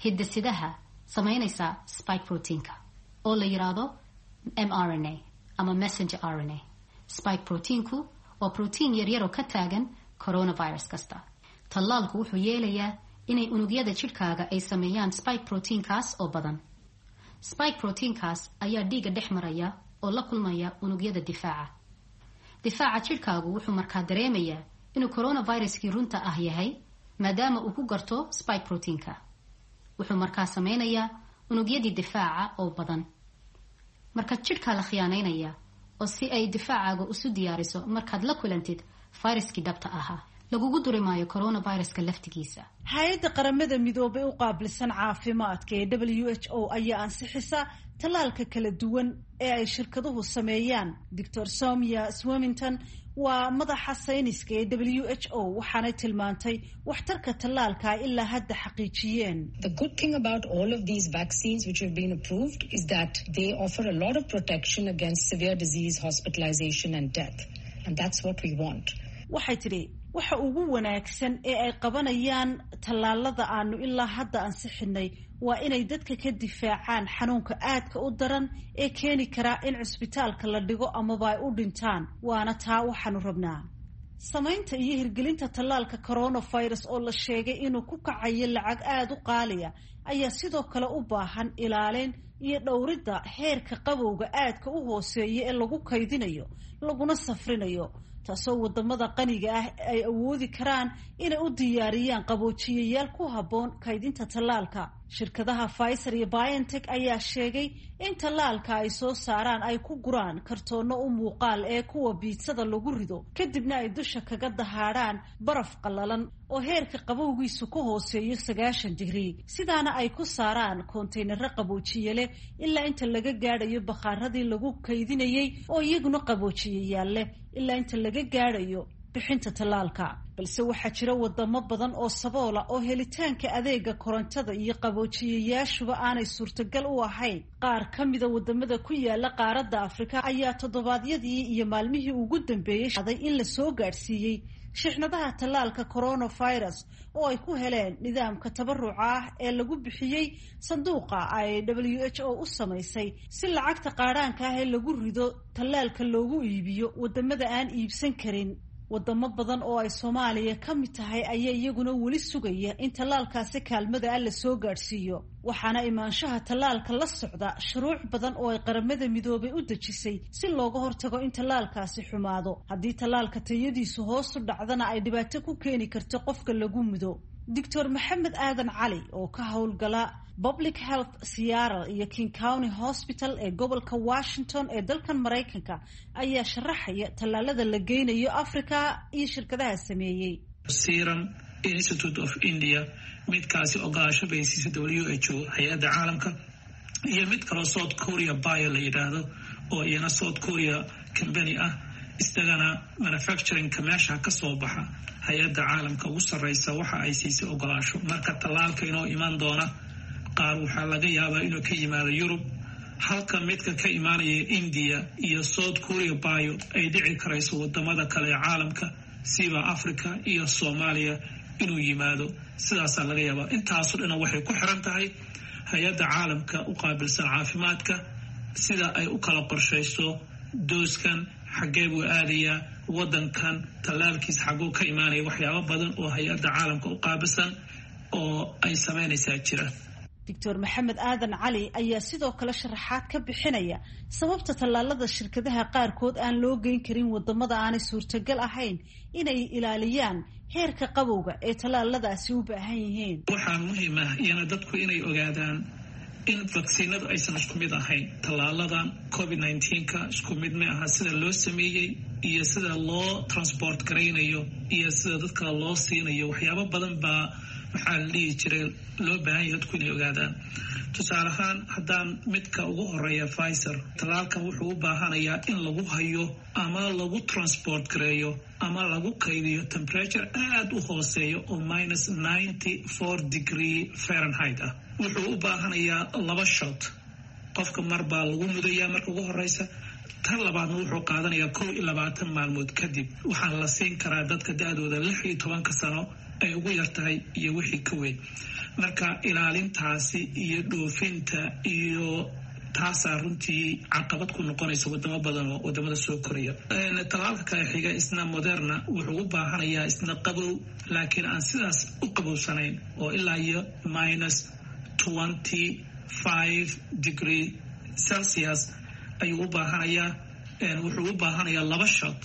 hidasidaha samaynaysa spike proteinka oo la yidhaahdo m r n a ama messenger r n a. Spike proteinku waa protein yaryaroo ka taagan coronavirus kasta. Tallaalku wuxuu yeelayaa inay unugyada jidhkaaga ay sameeyaan spike proteinkaas oo badan. Spike proteinkaas ayaa dhiigga dhex maraya oo la kulmaya unugyada difaaca. Difaaca jidhkaagu wuxuu markaa dareemayaa inuu coronaviruskii runta ah yahay maadaama uu ku garto spike proteinka. Wuxuu markaa sameynayaa unugyadii difaaca oo badan. Marka jidhkaa la khiyaanaynaya oo si ay difaacaaga isu diyaariso markaad la kulantid fayraskii dhabta ahaa. Lagugu duri maayo coronaviruska laftigiisa. Hay-adda Qaramada Midoobay u qaabilsan caafimaadka ee W H O ayaa ansixisa tallaalka kala duwan ee ay shirkaduhu sameeyaan. Doctor Somia Swamington waa madaxa sayniska ee W H O, waxaanay tilmaantay waxtarka tallaalka ay ilaa hadda xaqiijiyeen. The good thing about all of these vaccines which have been approved is that they offer a lot of protection against severe disease, hospitalization and death. And that's what we want. Waxay tidhi waxa ugu wanaagsan ee ay qabanayaan tallaalada aanu ilaa hadda ansixinay waa inay dadka ka difaacaan xanuunka aadka u daran ee keeni karaa in cusbitaalka la dhigo amaba ay u dhintaan, waana taa waxaanu rabnaa. Samaynta iyo hirgelinta tallaalka coronavirus oo la sheegay inuu ku kacayo lacag aada u qaaliya ayaa sidoo kale u baahan ilaalin iyo dhowridda heerka qabowga aadka u hooseeya ee lagu kaydinayo laguna safrinayo, taasoo wadamada qaniga ah ay awoodi karaan inay u diyaariyaan qaboojiyayaal ku habboon kaydinta tallaalka. Shirkadaha Pfizer iyo BioNTech ayaa sheegay in tallaalka ay soo saaraan ay ku guraan kartoonno u muuqaal ee kuwa biitsada lagu rido, kadibna ay dusha kaga dahaadhaan baraf qallalan oo heerka qabowgiisu ka hooseeyo sagaashan digrii, sidaana ay ku saaraan koontaynaro qaboojiye leh ilaa inta laga gaadhayo bakhaaradii lagu kaydinayey oo iyaguna qaboojiyayaal leh ilaa inta laga gaadhayo bixinta tallaalka. Balse waxaa jira wadamo badan oo saboola oo helitaanka adeega korontada iyo qaboojiyayaashuba aanay suurtagal u ahayn. Qaar ka mida wadamada ku yaala qaaradda Afrika ayaa toddobaadyadii iyo maalmihii ugu dambeeyey aday in la soo gaadhsiiyey shixnadaha tallaalka coronavirus oo ay ku heleen nidaamka tabaruca ah ee lagu bixiyey sanduuqa ay W H O u samaysay si lacagta qaadhaanka ah ee lagu rido tallaalka loogu iibiyo wadamada aan iibsan karin. Wadamo badan oo ay Soomaaliya ka mid tahay ayaa iyaguna weli sugaya in tallaalkaasi kaalmada ah la soo gaadhsiiyo, waxaana imaanshaha tallaalka la socda shuruuc badan oo ay Qaramada Midoobay u dejisay si looga hortago in tallaalkaasi xumaado. Haddii tallaalka tayadiisu hoosu dhacdana ay dhibaato ku keeni karto qofka lagu mudo. Doctor Maxamed Aadan Cali oo ka howlgala Public Health Seattle iyo King County Hospital ee gobolka Washington ee dalkan Maraykanka ayaa sharaxaya tallaalada la geynayo Afrika iyo shirkadaha sameeyey. Serum Institute of India midkaasi ogolaasho bay siisay W H O hay-adda caalamka, iyo mid kaloo South Korea Bio la yidhaahdo oo iyana South Korea company ah, isagana manufacturingka meesha ka soo baxa hay-adda caalamka ugu sarreysa waxa ay siisay ogolaasho. Marka tallaalka inoo iman doona qaar waxaa laga yaabaa inuu ka yimaado Yurub, halka midka ka imaanaya India iyo South Korea Bio ay dhici karayso wadamada kale ee caalamka siba Africa iyo Soomaaliya inuu yimaado. Sidaasaa laga yaabaa. Intaasoo dhan waxay ku xiran tahay hay-adda caalamka u qaabilsan caafimaadka sida ay u kala qorshayso dooskan, xaggee buu aadayaa wadankan, tallaalkiisa xagguu ka imaanaya, waxyaabo badan oo hay-adda caalamka u qaabilsan oo ay samaynaysaa jira. Doctor Maxamed Aadan Cali ayaa sidoo kale sharaxaad ka bixinaya sababta tallaalada shirkadaha qaarkood aan loo geyn karin wadamada aanay suurtagal ahayn inay ilaaliyaan heerka qabowga ee tallaaladaasi u baahan yihiin. Waxaa muhiim ah iyana dadku inay ogaadaan in vaksiinadu aysan isku mid ahayn. Tallaaladan covid nineteenka isku mid ma aha sida loo sameeyey iyo sida loo transport garaynayo iyo sida dadka loo siinayo. Waxyaabo badan baa maxaa la dhihi jiray loo baahan yahay dadku inay ogaadaan. Tusaale ahaan haddaan midka ugu horeeya Pfizer, tallaalkan wuxuu u baahanayaa in lagu hayo ama lagu transport gareeyo ama lagu kaydiyo temperature aada u hooseeya oo minus ninety four degree Fahrenheit ah. Wuxuu u baahanayaa laba shot, qofka mar baa lagu mudayaa marka ugu horeysa, tan labaadna wuxuu qaadanayaa kow iyo labaatan maalmood kadib. Waxaa la siin karaa dadka da-dooda lix iyo tobanka sano ay ugu yartahay iyo wixii ka weyn. Marka ilaalintaasi iyo dhoofinta iyo taasaa runtii caqabad ku noqonaysa wadamo badan oo wadamada soo koraya. Tallaalka kale xiga isna Moderna wuxuu u baahanayaa isna qabow, laakiin aan sidaas u qabowsanayn oo ilaa iyo minus twenty five degree Celsius ayuu u baahanayaa. Wuxuu u baahanayaa laba shot.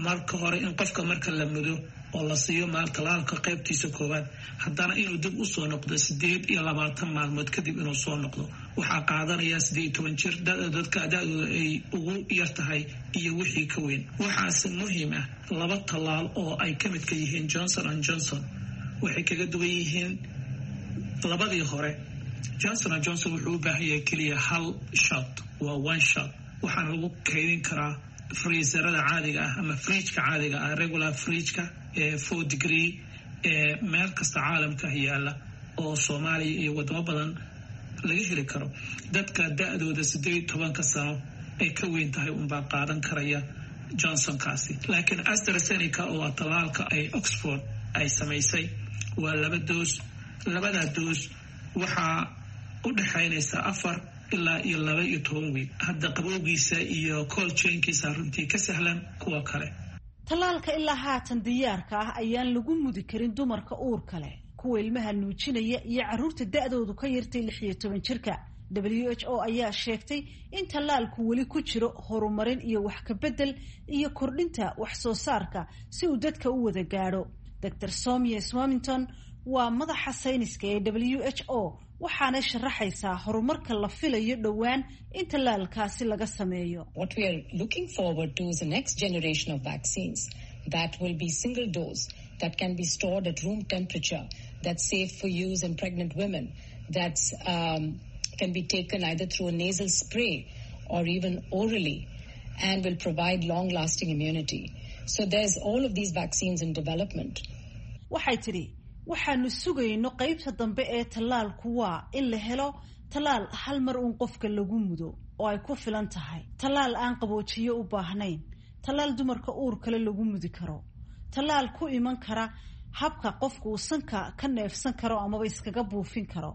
Marka hore in qofka marka la mudo oo la siiyo maal tallaalka qaybtiisa koowaad, haddana inuu dib usoo noqdo sideed iyo labaatan maalmood kadib inuu soo noqdo. Waxaa qaadanaya sideed iyo toban jir dadka da-dooda ay ugu yar tahay iyo wixii ka weyn. Waxaase muhiim ah laba tallaal oo ay ka midka yihiin Johnson and Johnson waxay kaga duwan yihiin labadii hore. Johnson and Johnson wuxuu u baahan yahay keliya hal shot, waa one shot, waxaana lagu kaydin karaa freezerada caadiga ah ama fridgeka caadiga ah, regular fridgeka ee four degree ee meel kasta caalamka yaala oo Soomaaliya iyo wadamo badan laga heli karo. Dadka da-dooda sideed iyo tobanka sano ay ka weyn tahay unbaa qaadan karaya Johnsonkaasi. Laakiin AstraZeneca oo ah tallaalka ay Oxford ay samaysay waa laba doos. Labadaa doos waxaa u dhexaynaysa afar ilaa iyo laba iyo toban wiig. Hadda qabowgiisa iyo cold chainkiisa runtii ka sahlan kuwa kale. Tallaalka ilaa haatan diyaarka ah ayaan lagu mudi karin dumarka uurka leh, kuwa ilmaha nuujinaya iyo carruurta da-doodu ka yartay lix iyo toban jirka. W H O ayaa sheegtay in tallaalku weli ku jiro horumarin iyo wax ka bedel iyo kordhinta wax soo saarka si uu dadka u wada gaadho. Doctor Soumya Swaminathan waa madaxa sayniska ee W H O, waxaanay sharaxaysaa horumarka la filayo dhowaan in tallaalkaasi laga sameeyo. What we are looking forward to is the next generation of vaccines that will be single dose, that can be stored at room temperature, that's safe for use in pregnant women, that's um, can be taken either through a nasal spray or even orally, and will provide long-lasting immunity. So there's all of these vaccines in development. Waxay tidhi, waxaanu sugayno qaybta dambe ee tallaalku waa in la helo tallaal hal mar uun qofka lagu mudo oo ay ku filan tahay, tallaal aan qaboojiyo u baahnayn, tallaal dumarka uur kale lagu mudi karo, tallaal ku iman kara habka qofku uu sanka ka neefsan karo amaba iskaga buufin karo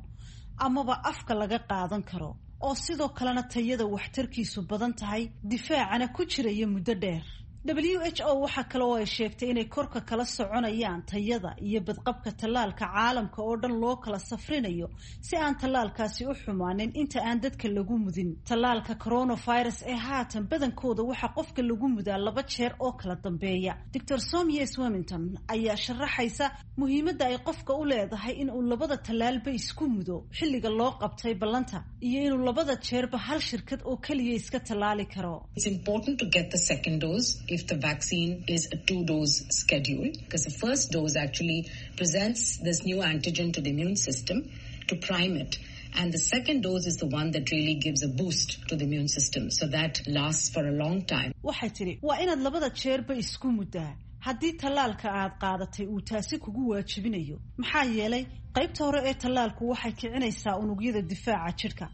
amaba afka laga qaadan karo, oo sidoo kalena tayada waxtarkiisu badan tahay, difaacana ku jiraya muddo dheer. W H O waxaa kale oo ay sheegtay inay korka kala soconayaan tayada iyo badqabka tallaalka caalamka oo dhan loo kala safrinayo si aan tallaalkaasi u xumaanin inta aan dadka lagu mudin. Tallaalka coronavirus ee haatan badankooda waxaa qofka lagu mudaa laba jeer oo kala dambeeya. Doctor Soumya Swaminathan ayaa sharaxaysa muhiimadda ay qofka u leedahay in uu labada tallaalba isku mudo xilliga loo qabtay ballanta iyo inuu labada jeerba hal shirkad oo keliya iska tallaali karo. It's important to get the second dose if the vaccine is a two-dose schedule, because the first dose actually presents this new antigen to the immune system to prime it. And the second dose is the one that really gives a boost to the immune system, so that lasts for a long time. Waxay tidhi, waa inaad labada jeerba isku muddaa haddii tallaalka aad qaadatay uu taasi kugu waajibinayo, maxaa yeelay qaybta hore ee tallaalku waxay kicinaysaa unugyada difaaca jidhka,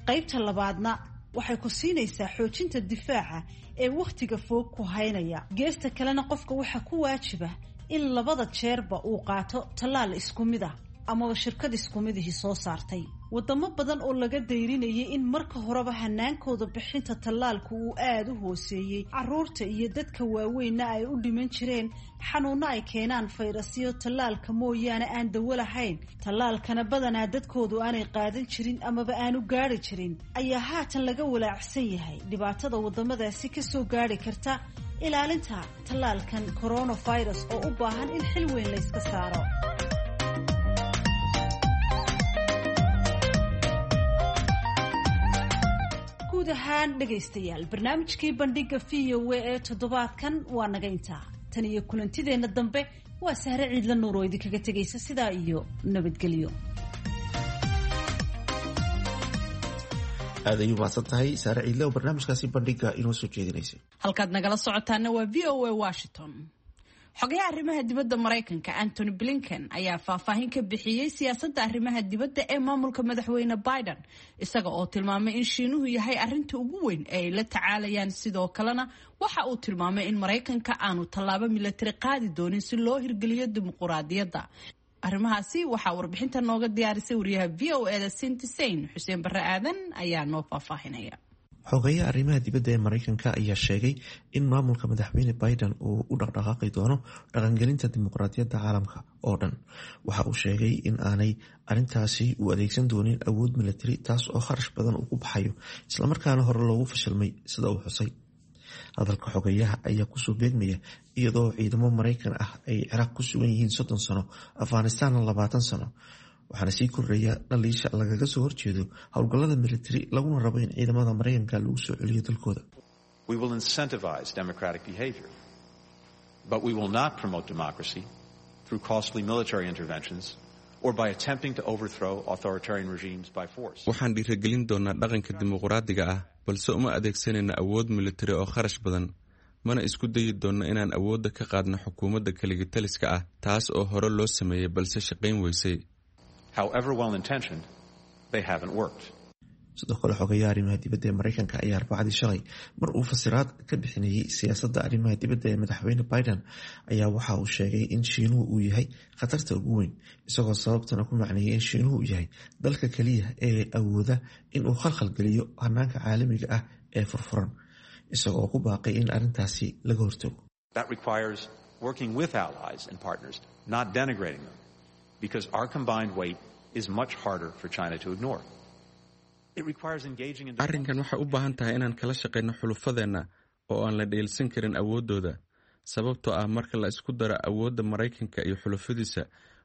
qaybta labaadna waxay ku siinaysaa xoojinta difaaca ee wakhtiga fog ku haynaya. Geesta kalena qofka waxaa ku waajiba in labada jeerba uu qaato tallaal isku mid ah amaba shirkad isku midihii soo saartay. Wadamo badan oo laga dayrinayay in marka horeba hanaankooda bixinta tallaalku uu aada u hooseeyey, carruurta iyo dadka waaweynna ay u dhiman jireen xanuunno ay keenaan fayrasyo tallaalka mooyaane aan dawo lahayn, tallaalkana badanaa dadkoodu aanay qaadan jirin amaba aanu gaari jirin, ayaa haatan laga walaacsan yahay dhibaatada waddamadaasi ka soo gaari karta ilaalinta tallaalkan coronavirus oo u baahan in xil weyn layska saaro. Guud ahaan dhegaystayaal, barnaamijkii bandhiga V O A ee toddobaadkan waa naga intaa. Tan iyo kulantideenna dambe waa Sahre Ciidla Nuur oo idinkaga tegaysa sidaa iyo nabadgelyo. Aad ayuu mahadsan tahay Saare Ciidle oo barnaamijkaasi bandhiga inoo soo jeedinaysay. Halkaad nagala socotaana waa V O A Washington. Xogayaha arrimaha dibadda Maraykanka Antony Blinken ayaa faahfaahin ka bixiyey siyaasadda arrimaha dibadda ee maamulka madaxweyne Biden, isaga oo tilmaamay in Shiinuhu yahay arrinta ugu weyn ee ay la tacaalayaan. Sidoo kalena waxa uu tilmaamay in Maraykanka aanu tallaabo milatari qaadi doonin si loo hirgeliyo dimuquraadiyadda. Arrimahaasi waxaa warbixinta nooga diyaarisay wariyaha V O E da Cindy Sain. Xuseen Barre Aadan ayaa noo faahfaahinaya. Xogeyaha arrimaha dibadda ee Maraykanka ayaa sheegay in maamulka madaxweyne Biden uu u dhaqdhaqaaqi doono dhaqangelinta dimuqraadiyadda caalamka oo dhan. Waxa uu sheegay in aanay arrintaasi u adeegsan doonin awood milatari, taas oo kharash badan uu ku baxayo, islamarkaana hore loogu fashilmay sida uu xusay. Hadalka xogeyaha ayaa kusoo beegmaya iyadoo ciidamo Maraykan ah ay Ciraaq ku sugan yihiin soddon sano, Afghanistanna labaatan sano. Waxaana sii kordhaya dhaliisha lagaga soo horjeedo howlgallada militari, laguna rabo in ciidamada Maraykanka lagu soo celiyo dalkooda. We will incentivize democratic behavior, but we will not promote democracy through costly military interventions or by attempting to overthrow authoritarian regimes by force. Waxaan dhiirigelin doonaa dhaqanka dimuqraadiga ah, balse uma adeegsanayno awood militari oo kharash badan, mana isku dayi doonno inaan awoodda ka qaadno xukuumadda kaligitaliska ah, taas oo hore loo sameeyey balse shaqayn weysay. However well intentioned, they haven't worked. Sidoo kale xogayaha arrimaha dibadda ee Maraykanka ayaa arbacadii shalay mar uu fasiraad ka bixinayay siyaasadda arrimaha dibadda ee madaxweyne Biden ayaa waxa uu sheegay in Shiinuhu uu yahay khatarta ugu weyn, isagoo sababtana ku macneeyay in Shiinuhu uu yahay dalka kaliya ee awooda in uu khalkhal geliyo hanaanka caalamiga ah ee furfuran, isagoo ku baaqay in arrintaasi laga hortago. That requires working with allies and partners, not denigrating them, because our combined weight is much harder for China to ignore. It requires engaging in Arrinkan waxay u baahan tahay inaan kala shaqayno xulufadeenna oo aan la dheelsan karin awooddooda, sababtoo ah marka la isku daro awoodda Maraykanka iyo xulufadiisa,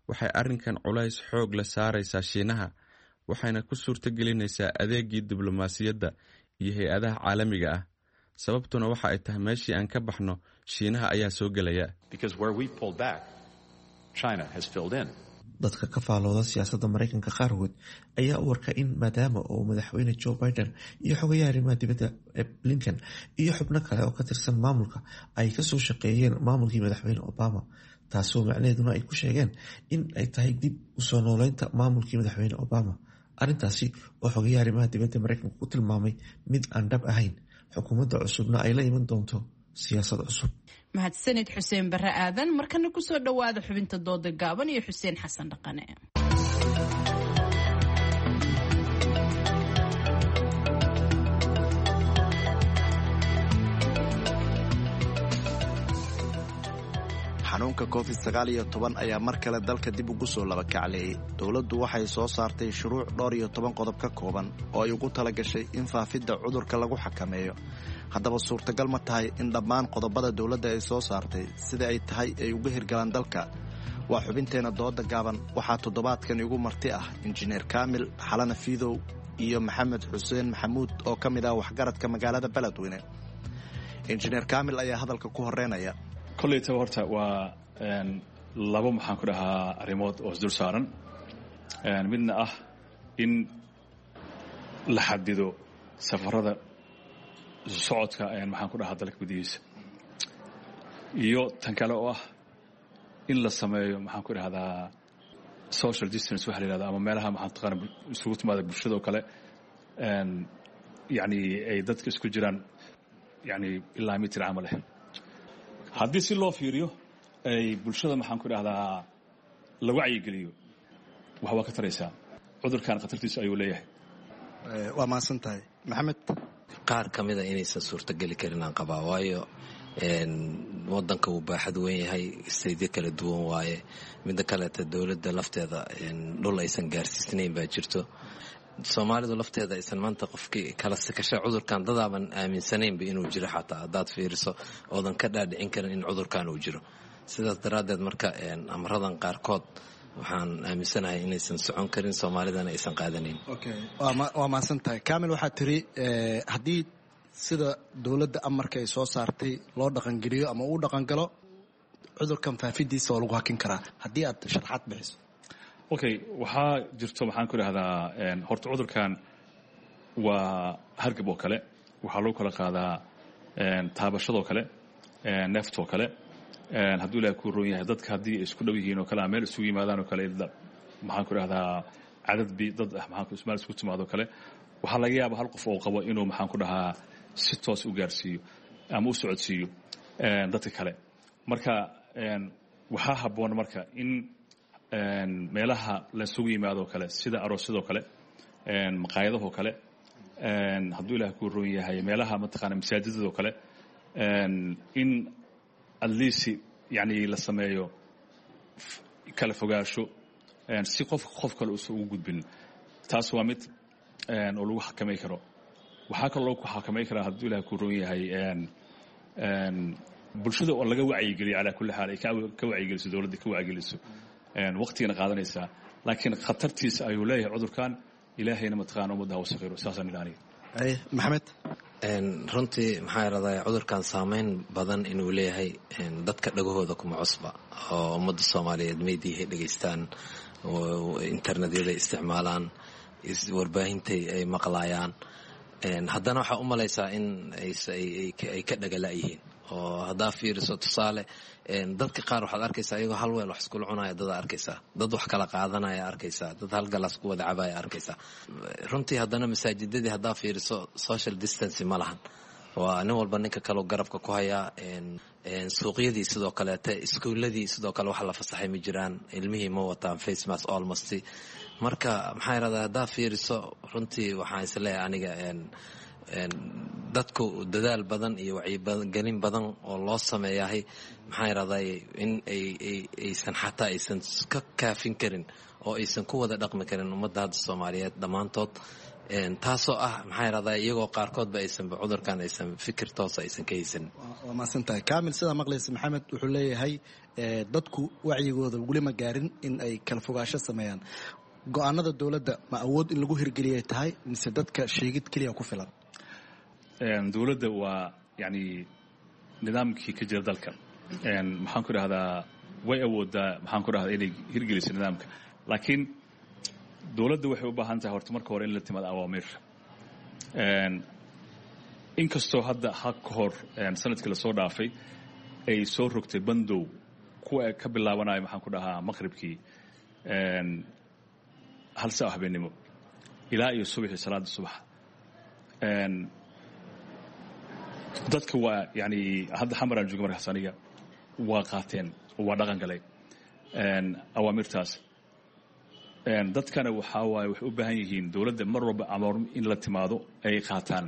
waxay arrinkan culays xoog la saaraysaa Shiinaha, waxayna ku suurto gelinaysaa adeegii diblomaasiyadda iyo hay-adaha caalamiga ah. Sababtuna waxa ay tahay meeshii aan ka baxno, Shiinaha ayaa soo gelaya. Because where we've pulled back, China has filled in. Dadka ka faalooda siyaasadda Maraykanka qaarkood ayaa u warka in maadaama uu madaxweyne Joe Biden iyo xogayaha arrimaha dibadda Blinken iyo xubno kale oo ka tirsan maamulka ay kasoo shaqeeyeen maamulkii madaxweyne Obama, taasoo macnaheeduna ay ku sheegeen in ay tahay dib usoo nooleynta maamulkii madaxweyne Obama. Arrintaasi oo xogayaha arrimaha dibadda Maraykanka ku tilmaamay mid aan dhab ahayn, xukuumadda cusubna ay la iman doonto siyaasad cusub. Mahadsanid Xuseen Barre Aadan. Markana kusoo dhowaada xubinta dooda gaaban iyo Xuseen Xasan Dhaqane. Xanuunka covid sagaal iyo toban ayaa mar kale dalka dib ugu soo labakacleeyey. Dowladdu waxay soo saartay shuruuc dhowr iyo toban qodob ka kooban oo ay ugu tala gashay in faafidda cudurka lagu xakameeyo. Haddaba suurtagal ma tahay in dhammaan qodobada dowladda ay soo saartay sida ay tahay ay uga hirgalaan dalka? Waa xubinteenna dooda gaaban. Waxaa toddobaadkan igu marti ah Injineer Kaamil Xalana Fiidow iyo Maxamed Xuseen Maxamuud oo ka mid ah waxgaradka magaalada Beledweyne. Injineer Kaamil ayaa hadalka ku horeynaya. Koleytaba horta waa labo, maxaan ku dhahaa, arrimood oo isdul saaran. Midna ah in la xadido safarada socodka, maxaan ku dhahaa, dalka gudihiisa, iyo tan kale oo ah in la sameeyo, maxaan ku dhahdaa, social distance waxa la yihahda, ama meelaha, maxaan taqaana, isugu timaada bulshada oo kale, yacni ay dadka isku jiraan, yacni ilaa mitir camal eh. Haddii si loo fiiriyo ay bulshada, maxaan ku dhahdaa, la wacyigeliyo, wax waa ka taraysaa. Cudurkan khatartiisa ayuu leeyahay. Waa mahadsan tahay, Maxamed. Qaar ka mida inaysan suurtogeli karin aan qabaa, waayo wadanka wuu baaxad weyn yahay, staydyo kala duwan waaye. Midda kaleeta, dowladda lafteeda dhul aysan gaarsiisnayn baa jirto. Soomaalidu lafteeda aysan maanta qofkii kala sikasha cudurkan dadaaban aaminsanaynba inuu jiro, xataa haddaad fiiriso oodan ka dhaadhicin karin in cudurkan uu jiro. Sidaas daraaddeed marka amradan qaarkood waxaan aaminsanahay inaysan socon karin, soomaalidana aysan qaadanayn. Waa mahadsan tahay, Kamil. Waxaad tiri haddii sida dowladda amarka ay soo saartay loo dhaqangeliyo ama uu dhaqangalo, cudurkan faafidiisa waa lagu hakin karaa. Haddii aad sharxaad bixiso. Okay, waxaa jirto, maxaan ku idhahdaa, horta cudurkan waa hargab oo kale. Waxaa lagu kala qaadaa taabashadoo kale, neeftoo kale. Hadduu Ilahay kuu roon yahay, dadka haddii ay isku dhow yihiin oo kale ama meel isugu yimaadaan oo kale, maxaan ku idhahdaa, cadad bi dad ah maxaan meel isku timaado kale, waxaa laga yaaba hal qof oo qabo inuu, maxaan ku dhahaa, si toos u gaarsiiyo ama u socodsiiyo dadka kale. Marka waxaa habboon marka in meelaha laisugu yimaadoo kale, sida aroosyadoo kale, maqaayadahoo kale, hadduu Ilaah kuu roon yahay, meelaha mataqaana masaajidadoo kale, in at least yani la sameeyo kala fogaasho si qofka qof kale uusan ugu gudbin. Taas waa mid oo lagu xakamay karo. Waxaa kaloo lagu xakamay karaa, hadduu Ilaah kuu roon yahay, bulshada oo laga wacyigeliyo. Calaa kulli xaal ay ka wacyigeliso dowladda, ka wacyigeliso, waqtigana qaadanaysaa, laakiin khatartiisa ayuu leeyahay cudurkan. Ilaahayna mataqaana ummadda ha u sakhiro, saasaan idhi aniga. Maxamed. Runtii maxaa iradaa, cudurkan saameyn badan inuu leeyahay dadka dhagahooda kuma cusba, oo ummadda Soomaaliyeed meediyahay dhegaystaan, internetyada isticmaalaan, warbaahintay ay maqlaayaan. Haddana waxaa u malaysaa in ay ka dhagala-yihiin, oo haddaa fiiriso tusaale dadka qaar waxaad arkaysaa iyagoo hal weel wax iskula cunaya, dadaa arkaysaa dad wax kala qaadanaya, arkaysaa dad hal galaas ku wada cabaya arkaysaa. Runtii haddana masaajidadii haddaa fiiriso social distancy ma lahan, waa nin walba ninka kaleo garabka ku hayaa. Suuqyadii sidoo kaleete, iskuuladii sidoo kale wax la fasaxay ma jiraan, ilmihii ma wataan face mask almost. Marka maxaa irahdaa, haddaa fiiriso runtii waxaan isleeyahay aniga Dadku dadaal badan iyo wacyigelin badan oo loo sameeyahay maxaa yidhahday in ay aysan xataa aysan ka kaafin karin oo aysan ku wada dhaqmi karin ummadda hadda Soomaaliyeed dhammaantood, taasoo ah maxaa yidhahdaa iyagoo qaarkoodba aysanba cudurkan aysan fikir toosa aysan ka haysanin. Waa mahadsantahay Kaamil. Sidaa maqlaysa Maxamed wuxuu leeyahay dadku wacyigooda weli ma gaarin in ay kala fogaasho sameeyaan. Go-aanada dowladda ma awood in lagu hirgeliyay tahay mise dadka sheegid keliya ku filan? Dowladda waa yani nidaamkii ka jira dalka, maxaan ku idhahdaa, way awoodaa, maxaan ku dhahdaa, inay hirgeliso nidaamka, laakiin dowladda waxay u baahan tahay horta marka hore in la timaado awaamiir. Inkastoo hadda ha ka hor sanadkii lasoo dhaafay ay soo rogtay bandow kuwa ka bilaabanayo, maxaan ku dhahaa, maqribkii hal saa habeenimo ilaa iyo subaxii salaada subax, dadka waa yani hadda xamaraan jooga markaas aniga waa qaateen oo waa dhaqan galay awaamirtaas. Dadkana waxaa waaye waxay u baahan yihiin dowladda mar walba amar in la timaado ay qaataan.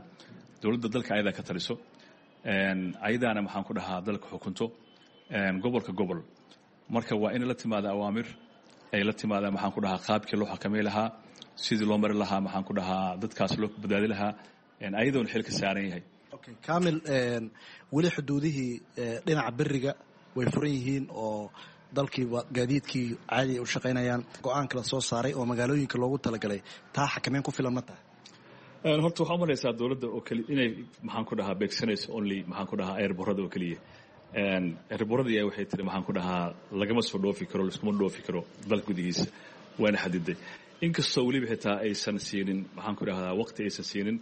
Dowladda dalka ayadaa ka taliso, ayadaana maxaan ku dhahaa dalka xukunto gobolka gobol. Marka waa in la timaado awaamir ay la timaadaan, maxaan ku dhahaa, qaabkii loo xakamay lahaa, sidii loo mari lahaa, maxaan ku dhahaa, dadkaas loo badbaadi lahaa, ayadoona xil ka saaran yahay. Kaamil, weli xuduudihii dhinaca beriga way furan yihiin oo dalkii gaadiidkii caadi ay u shaqaynayaan. Go-aanka la soo saaray oo magaalooyinka loogu talagalay taa xakameyn ku filan ma tahay? Horta waxaa umalaysaa dowladda oo keli inay maxaan ku dhahaa beegsanayso only, maxaan ku dhahaa, airborada oo keliya. Airborada ayaa waxay tiri, maxaan ku dhahaa, lagama soo dhoofi karo, laiskuma dhoofi karo dalka gudihiisa, waana xadiday. Inkastoo weliba xitaa aysan siinin, maxaan ku dhahdaa, waqti aysan siinin.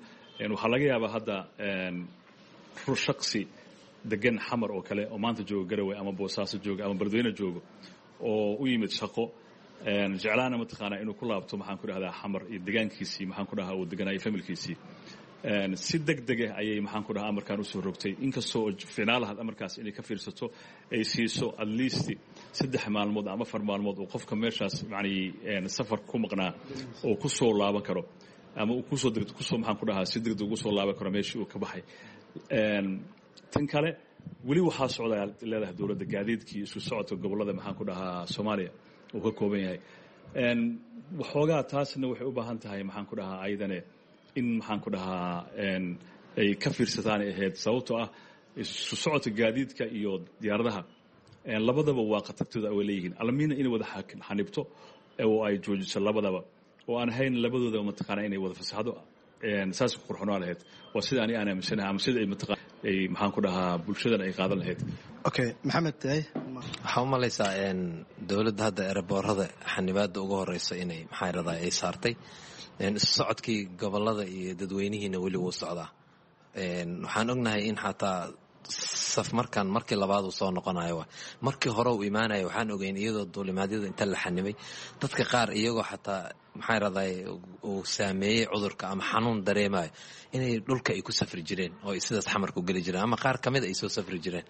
Waxaa laga yaabaa hadda shaqsi degan Xamar oo kale oo maanta jooga Garowe ama Boosaaso jooga ama Beledweyne joogo oo u yimid shaqo, jeclaana mataqaanaa inuu ku laabto, maxaan ku dhahdaa, Xamar iyo degaankiisii, maxaan ku dhahaa, uu deganaayo familkiisii, si deg deg ah ayay, maxaan ku dhahaa, amarkan usoo rogtay. Inkastoo ficnaa lahaad amarkaas inay ka fiirsato, ay siiso at least saddex maalmood ama afar maalmood oo qofka meeshaas yani safar ku maqnaa oo ku soo laaban karo ama uu kusoo kusoo, maxaan ku dhahaa, si degdeg ugu soo laaban karo meeshii uu ka baxay. Tan kale weli waxaa socda leedahay dowladda gaadiidkii isu socodka gobollada, maxaan ku dhahaa, Soomaaliya uu ka kooban yahay. Waxoogaa taasna waxay u baahan tahay, maxaan ku dhahaa, ayadane in, maxaan ku dhahaa, ay ka fiirsataan ay ahayd, sababtoo ah isu socodka gaadiidka iyo diyaaradaha labadaba waa khatartooda way leeyihiin. Alamiina inay wada xanibto oo ay joojiso labadaba oo aan ahayn labadoodaba mataqaanaa inay wada fasaxdo, saas ku qurxonaa lahayd. Waa sida ani aan aaminsanahay ama sida ay mataqaa ay, maxaan ku dhahaa, bulshadan ay qaadan lahayd. Okay, Maxamed tahay. Waxaa u malaysaa dowladda hadda eeraboorada xanibaada ugu horeysa inay maxaa yidhahdaa ay saartay. Isu socodkii gobolada iyo dadweynihiina weli wuu socdaa. Waxaan ognahay in xataa saf markan markii labaad uu soo noqonayo, wa markii hore uu imaanayo, waxaan ogeyn iyadoo duulimaadyada inta la xanimay dadka qaar iyagoo xataa maxaa yidhahdaa uu saameeyey cudurka ama xanuun dareemayo inay dhulka ay ku safri jireen oo ay sidaas Xamarku geli jireen ama qaar kamid ay soo safri jireen.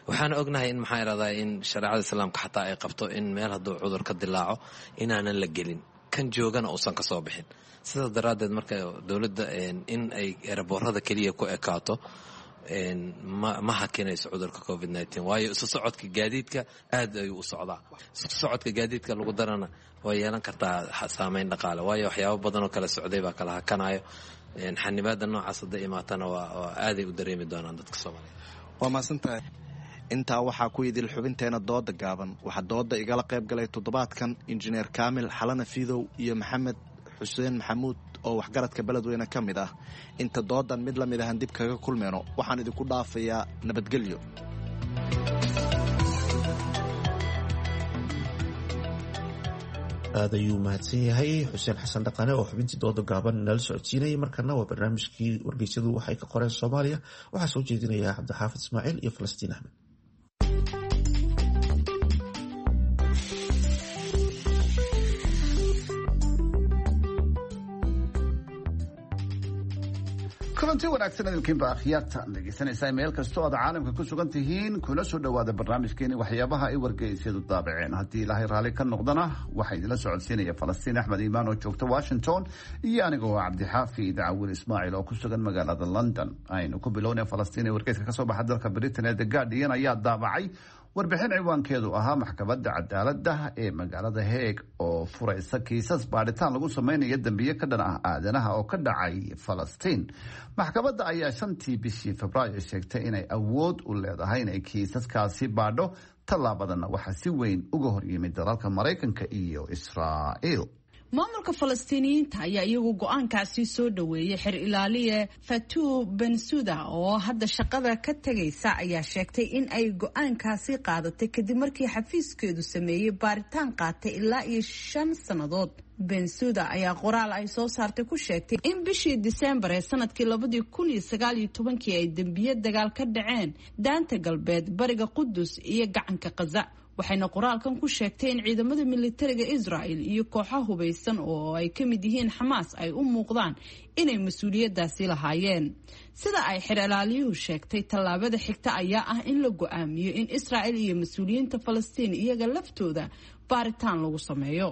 Waxaan ognahay in maxaa yidhahdaa in shareecada islaamka xataa ay qabto in meel hadduu cudur ka dilaaco inaanan la gelin, kan joogana uusan ka soo bixin. Sidaas daraaddeed marka dowladda in ay eraboorada keliya ku ekaato ma ma hakinayso cudurka covid nineteen, waayo isu socodka gaadiidka aad ayuu u socdaa. Isu socodka gaadiidka lagu darana way yeelan kartaa saameyn dhaqaale, waayo waxyaabo badan oo kala socday baa kala hakanayo. Xanibaada noocaas hadday imaatana waa waa aaday u dareemi doonaan dadka Soomaaliyeed. Waa mahadsantahay. Intaa waxaa ku idil xubinteena dooda gaaban. Waxaa dooda igala qayb galay toddobaadkan injineer Kaamil Xalana Fiidow iyo Maxamed Xuseen Maxamuud oo waxgaradka Beledweyne ka mid ah. Inta doodan mid la mid ahan dib kaga kulmeyno, waxaan idinku dhaafayaa nabadgelyo. Aad ayuu mahadsan yahay Xuseen Xasan Dhaqane oo xubintii dooda gaaban nala socodsiinayay. Markana waa barnaamijkii wargeysyadu waxay ka qoreen Soomaaliya. Waxaa soo jeedinaya Cabdixaafid Ismaaciil iyo Falastiin Axmed. Kulanti wanaagsan idinkiinba akhyaarta dhegeysanaysaa meel kastoo aad caalamka ku sugan tihiin, kuna soo dhowaada barnaamijkeeni waxyaabaha ay wargeysyadu daabaceen. Haddii Ilaahay raalli ka noqdana, waxaa idinla socodsiinaya Falastiin Axmed Iimaan oo joogta Washington iyo anigoo Cabdixaafi Dacawil Ismaaciil oo ku sugan magaalada London. Aynu ku bilownay Falastiin ee wargeyska kasoo baxa dalka Britain ee The Guardian ayaa daabacay warbixin ciwaankeedu ahaa maxkamadda cadaaladda ee magaalada Hague oo furaysa kiisas baadhitaan lagu samaynayo dembiye ka dhan ah aadanaha oo ka dhacay Falastiin. Maxkamadda ayaa shantii bishii Febraayo sheegtay inay awood u leedahay inay kiisaskaasi baadho. Tallaabadanna waxaa si weyn uga horyimid dalalka Maraykanka iyo Israa'iil. Maamulka Falastiiniyiinta ayaa iyagu go-aankaasi soo dhoweeyey. Xer ilaaliye Fatou Bensouda oo hadda shaqada ka tegaysa ayaa sheegtay in ay go-aankaasi qaadatay kadib markii xafiiskeedu sameeyey baaritaan qaatay ilaa iyo shan sannadood. Bensouda ayaa qoraal ay soo saartay ku sheegtay in bishii Disembar ee sanadkii labadii kun iyo sagaal iyo tobankii ay dembiye dagaal ka dhaceen Daanta Galbeed, bariga Qudus iyo gacanka Khaza. Waxayna qoraalkan ku sheegtay in ciidamada militariga Israel iyo kooxo hubaysan oo ay ka mid yihiin Xamaas ay u muuqdaan inay mas-uuliyadaasi lahaayeen. Sida ay xer ilaaliyuhu sheegtay, tallaabada xigta ayaa ah in la go-aamiyo in Israel iyo mas-uuliyiinta Falastiin iyaga laftooda baaritaan lagu sameeyo.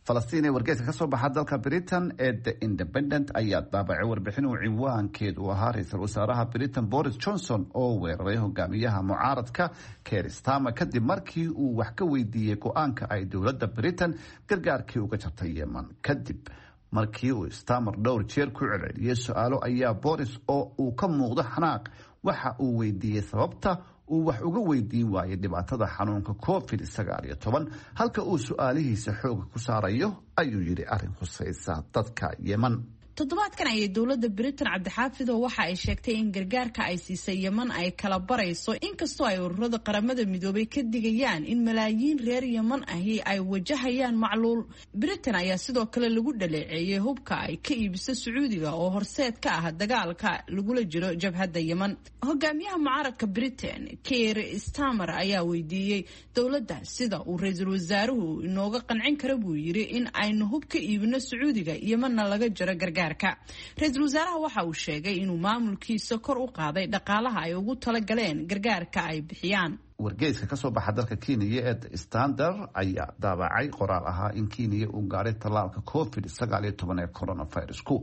Falastiin ee wargeyska kasoo baxa dalka Britain ee The Independent ayaa daabacay warbixin uu ciwaankeedu ahaa ra-iisul wasaaraha Britain Boris Johnson oo weeraray hogaamiyaha mucaaradka Keir Starmer kadib markii uu wax ka weydiiyey go-aanka ay dowladda Britain gargaarkii uga jartay Yemen. Kadib markii uu Starmer dhowr jeer ku celceliyey su-aalo, ayaa Boris oo uu ka muuqdo xanaaq waxa uu weydiiyey sababta uu wax uga weydiin waayay dhibaatada xanuunka covid sagaal iyo toban, halka uu su-aalihiisa xooga ku saarayo, ayuu yidhi, arrin khusaysa dadka Yeman. Toddobaadkan ayay dowladda Britain, Cabdixaafido, waxa ay sheegtay in gargaarka ay siisay Yeman ay kala barayso, inkastoo ay ururada Qaramada Midoobay ka digayaan in malaayiin reer Yeman ahi ay wajahayaan macluul. Britain ayaa sidoo kale lagu dhaleeceeyey hubka ay ka iibiso Sacuudiga oo horseed ka ah dagaalka lagula jiro jabhadda Yeman. Hogaamiyaha mucaaradka Britain Keir Starmer ayaa weydiiyey dowladda sida uu ra-iisul wasaaruhu inooga qancin kara, buu yiri, in aynu hub ka iibino Sacuudiga, Yemanna laga jaro gargaar. Ra-iisul wasaaraha waxa uu sheegay inuu maamulkiisa kor u qaaday dhaqaalaha ay ugu talagaleen gargaarka ay bixiyaan. Wargeyska kasoo baxa dalka Kenya ee The Standard ayaa daabacay qoraal ahaa in Kenya uu gaaray tallaalka covid sagaal iyo toban ee coronavirusku.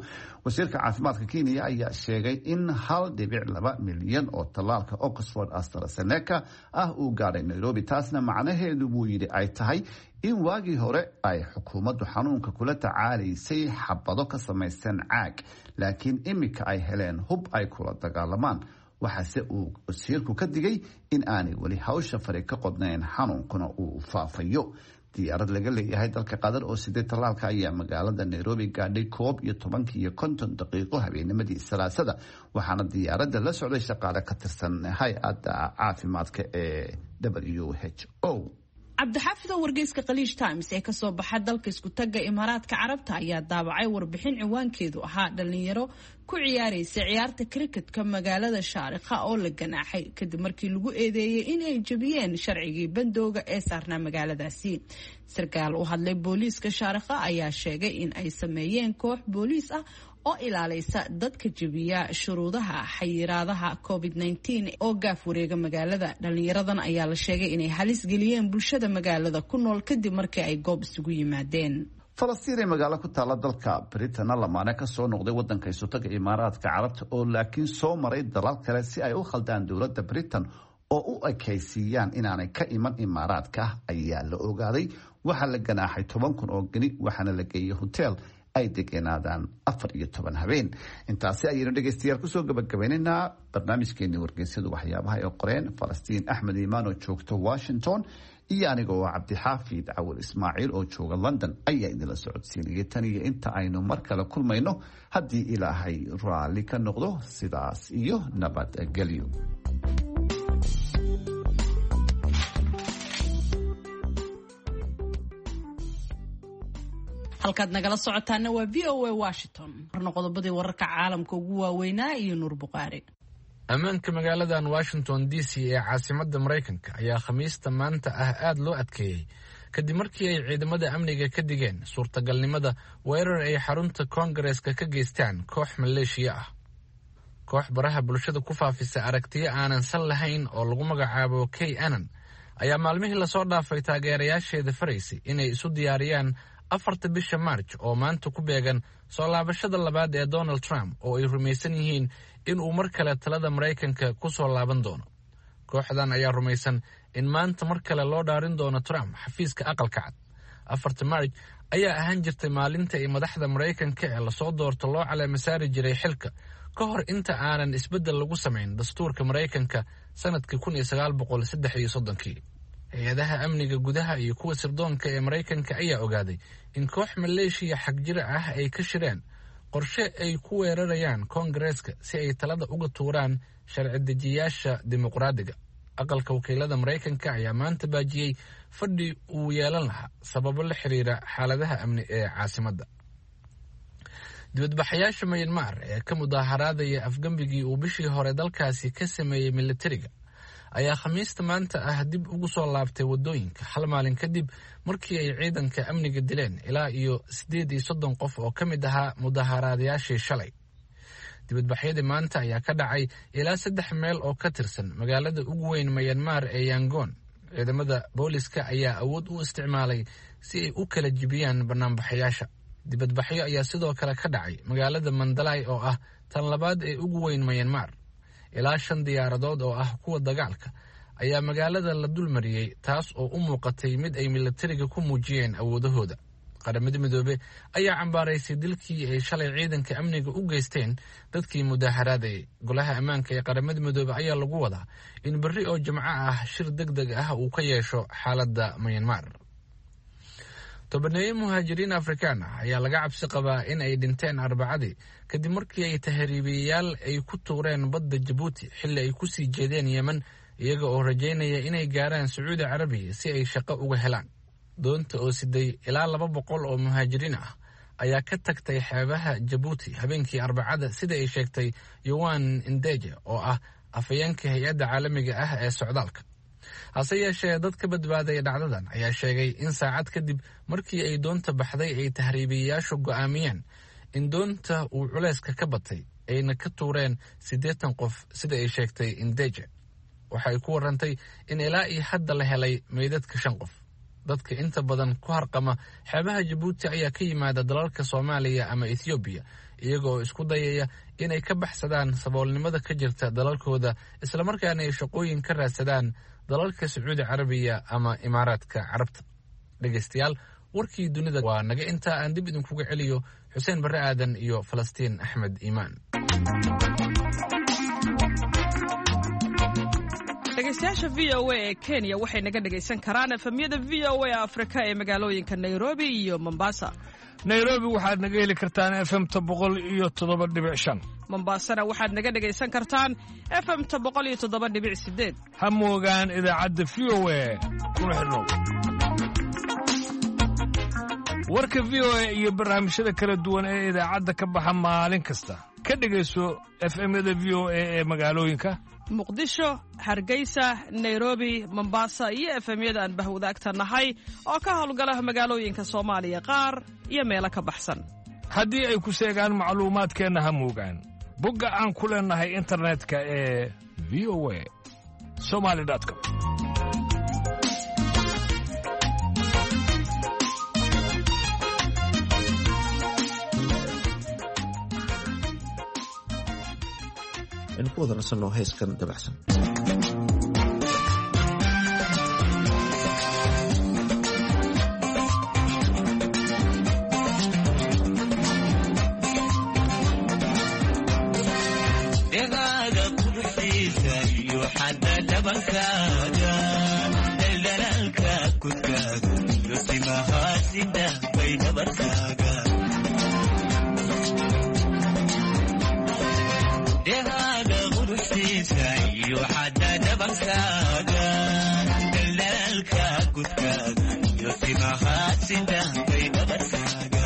Wasiirka caafimaadka Kenya ayaa sheegay in hal dhibic laba milyan oo tallaalka Oxford AstraZeneca ah uu gaaray Nairobi. Taasna macnaheedu, buu yidhi, ay tahay in waagii hore ay xukuumaddu xanuunka kula tacaalaysay xabado ka samaysan caag, laakiin imika ay heleen hub ay kula dagaalamaan. Waxaase uu wasiirku ka digay in aanay weli hawsha fari ka qodnayn, xanuunkuna uu faafayo. Diyaarad laga leeyahay dalka Qatar oo sideed tallaalka ayaa magaalada Nairobi gaadhay koob iyo tobankii iyo konton daqiiqo habeennimadii Salaasada, waxaana diyaaradda la socday shaqaale ka tirsan hay-adda caafimaadka ee W H O. Cabdixaafido, wargeyska Khaliij Times ee kasoo baxa dalka Iskutaga Imaaraadka Carabta ayaa daabacay warbixin ciwaankeedu ahaa dhalinyaro ku ciyaaraysa ciyaarta cricketka magaalada Shaarikha oo la ganaaxay kadib markii lagu eedeeyey in ay jebiyeen sharcigii bandooga ee saarnaa magaaladaasi. Sarkaal u hadlay booliiska Shaarikha ayaa sheegay in ay sameeyeen koox booliis ah oo ilaalaysa dadka jebiya shuruudaha xayiraadaha covid nineteen oo gaaf wareega magaalada. Dhalinyaradan ayaa la sheegay inay halis geliyeen bulshada magaalada ku nool kadib markii ay goob isugu yimaadeen. Falastiin ee magaalo ku taalla dalka Britain, lamaane kasoo noqday wadanka Isutaga Imaaraadka Carabta oo laakiin soo maray dalal kale si ay u khaldaan dowladda Britain oo u ekaysiiyaan inaanay ka iman Imaaraadka, ayaa la ogaaday. Waxaa la ganaaxay toban kun oo geni, waxaana la geeyey hotel ay degenaadaan afar iyo toban habeen. Intaasi ayaynu dhegeystayaal kusoo gabagabaynaynaa barnaamijkeenii wargeysyadu waxyaabaha ay qoreen. Falastiin Axmed Iimaan oo joogta Washington iyo aniga oo Cabdixaafid Cawil Ismaaciil oo jooga London ayaa idinla socodsiinayay. Tan iyo inta aynu mar kale kulmayno, haddii Ilaahay raalli ka noqdo, sidaas iyo nabadgelyo. Halkaad nagala socotaana waa V O A Washington. Marna qodobadii wararka caalamka ugu waaweynaa iyo Nuur Bukhaari. Ammaanka magaaladan Washington D C ee caasimadda Maraykanka ayaa Khamiista maanta ah aada loo adkeeyey kadib markii ay ciidamada amniga ka digeen suurtagalnimada weerar ay xarunta koongareeska ka geystaan koox maleeshiya ah. Koox baraha bulshada ku faafisa aragtiyo aanan sal lahayn oo lagu magacaabo Kay Anan ayaa maalmihii lasoo dhaafay taageerayaasheeda faraysay inay isu diyaariyaan afarta bisha Maarj oo maanta ku beegan soo laabashada labaad ee Donald Trump oo ay rumaysan yihiin in uu mar kale talada Maraykanka ku soo laaban doono. Kooxdan ayaa rumaysan in maanta mar kale loo dhaarin doono Trump xafiiska Aqalka Cad. Afarta Maarj ayaa ahaan jirtay maalinta ay madaxda Maraykanka ee lasoo doorto loo caleema saari jiray xilka ka hor inta aanan isbeddel lagu samayn dastuurka Maraykanka sanadkii kun iyo sagaal boqol saddex iyo soddonkii. Hay-adaha amniga gudaha iyo kuwa sirdoonka ee Maraykanka ayaa ogaaday in koox maleeshiya xagjira ah ay ka shireen qorshe ay ku weerarayaan koongareeska si ay talada uga tuuraan sharci dejiyaasha dimuqraadiga. Aqalka wakiilada Maraykanka ayaa maanta baajiyey fadhi uu yeelan lahaa sababo la xiriira xaaladaha amni ee caasimadda. Dibadbaxayaasha Myanmar ee ka mudaaharaadaya afgembigii uu bishii hore dalkaasi ka sameeyey militariga ayaa Khamiista maanta ah dib ugu soo laabtay waddooyinka hal maalin kadib markii ay ciidanka amniga dileen ilaa iyo siddeed iyo soddon qof oo ka mid ahaa mudaaharaadayaashii shalay. Dibadbaxyadii maanta ayaa ka dhacay ilaa saddex meel oo ka tirsan magaalada ugu weyn Myanmar ee Yangon. Ciidamada booliska ayaa awood u isticmaalay si ay u kala jibiyaan banaanbaxayaasha. Dibadbaxyo ayaa sidoo kale ka dhacay magaalada Mandalay oo ah tan labaad ee ugu weyn Myanmar. Ilaa shan diyaaradood oo ah kuwa dagaalka ayaa magaalada la dulmariyey, taas oo u muuqatay mid ay militariga ku muujiyeen awoodahooda. Qaramada Midoobe ayaa cambaaraysay dilkii ay shalay ciidanka amniga u geysteen dadkii mudaaharaadayay. Golaha ammaanka ee Qaramada Midoobe ayaa lagu wadaa in berri oo Jimco ah shir deg deg ah uu ka yeesho xaaladda Myanmar. Tobaneeyo muhaajiriin Afrikaan ah ayaa laga cabsi qabaa in ay dhinteen Arbacadii kadib markii ay tahriibiyayaal ay ku tuureen badda Jabuuti xilli ay ku sii jeedeen Yemen, iyaga oo rajaynaya inay gaaraan Sacuudi Carabiya si ay shaqo uga helaan. Doonta oo siday ilaa laba boqol oo muhaajiriin ah ayaa ka tagtay xeebaha Jabuuti habeenkii Arbacada, sida ay sheegtay Yowan Indeje oo ah afhayeenka hay-adda caalamiga ah ee socdaalka. Hase yeeshee, dad ka badbaaday dhacdadan ayaa sheegay in saacad kadib markii ay doonta baxday ay tahriibiyayaashu go'aamiyeen in doonta uu culayska ka batay ayna ka tuureen siddeetan qof, sida ay sheegtay Indeje. Waxa ay ku warantay in ilaa iyo hadda la helay meydadka shan qof. Dadka inta badan ku harqama xeebaha Jabuuti ayaa ka yimaada dalalka Soomaaliya ama Ethoobiya, iyaga oo isku dayaya inay ka baxsadaan saboolnimada ka jirta dalalkooda islamarkaana ay shaqooyin ka raadsadaan dalalka Sacuudi Carabiya ama Imaaraadka Carabta. Dhegeystayaal, warkii dunida waa naga intaa. Aan dib idinkuga celiyo Xuseen Barre Aadan iyo Falastiin Axmed Iimaan. Dhegeystayaasha V O A ee Kenya waxay naga dhegaysan karaan efemyada V O A Afrika ee magaalooyinka Nairobi iyo Mombasa. Nairobi waxaad naga heli kartaan efemta boqol iyo toddoba dhibic shan. Mombasana waxaad naga dhegaysan kartaan efemta boqol iyo toddoba dhibic sideed. Ha moogaan idaacadda V O A, kuna xidhnow warka V O A iyo barnaamijyada kala duwan ee idaacadda ka baxa maalin kasta. Ka dhegayso efemyada V O A ee magaalooyinka Muqdisho, Hargeysa, Nairobi, Mombasa iyo efemyada aan bahwadaagta nahay oo ka howlgala magaalooyinka Soomaaliya qaar iyo meelo ka baxsan. Haddii ay ku seegaan macluumaadkeenna, ha moogaan bogga aan ku leennahay internetka ee V O A somali com. Aynu ku wada nasanno heeskan dabacsan. Dhegaaga quruxdiisa iyo xadda dhabankaaga, daldalaalka kudkaaga iyo timahaasida bay dhabarkaaga. Dhegaaga quruxdiisa iyo xadda dhabankaaga, daldalaalka kudkaaga iyo timahaasida bay dhabarkaaga.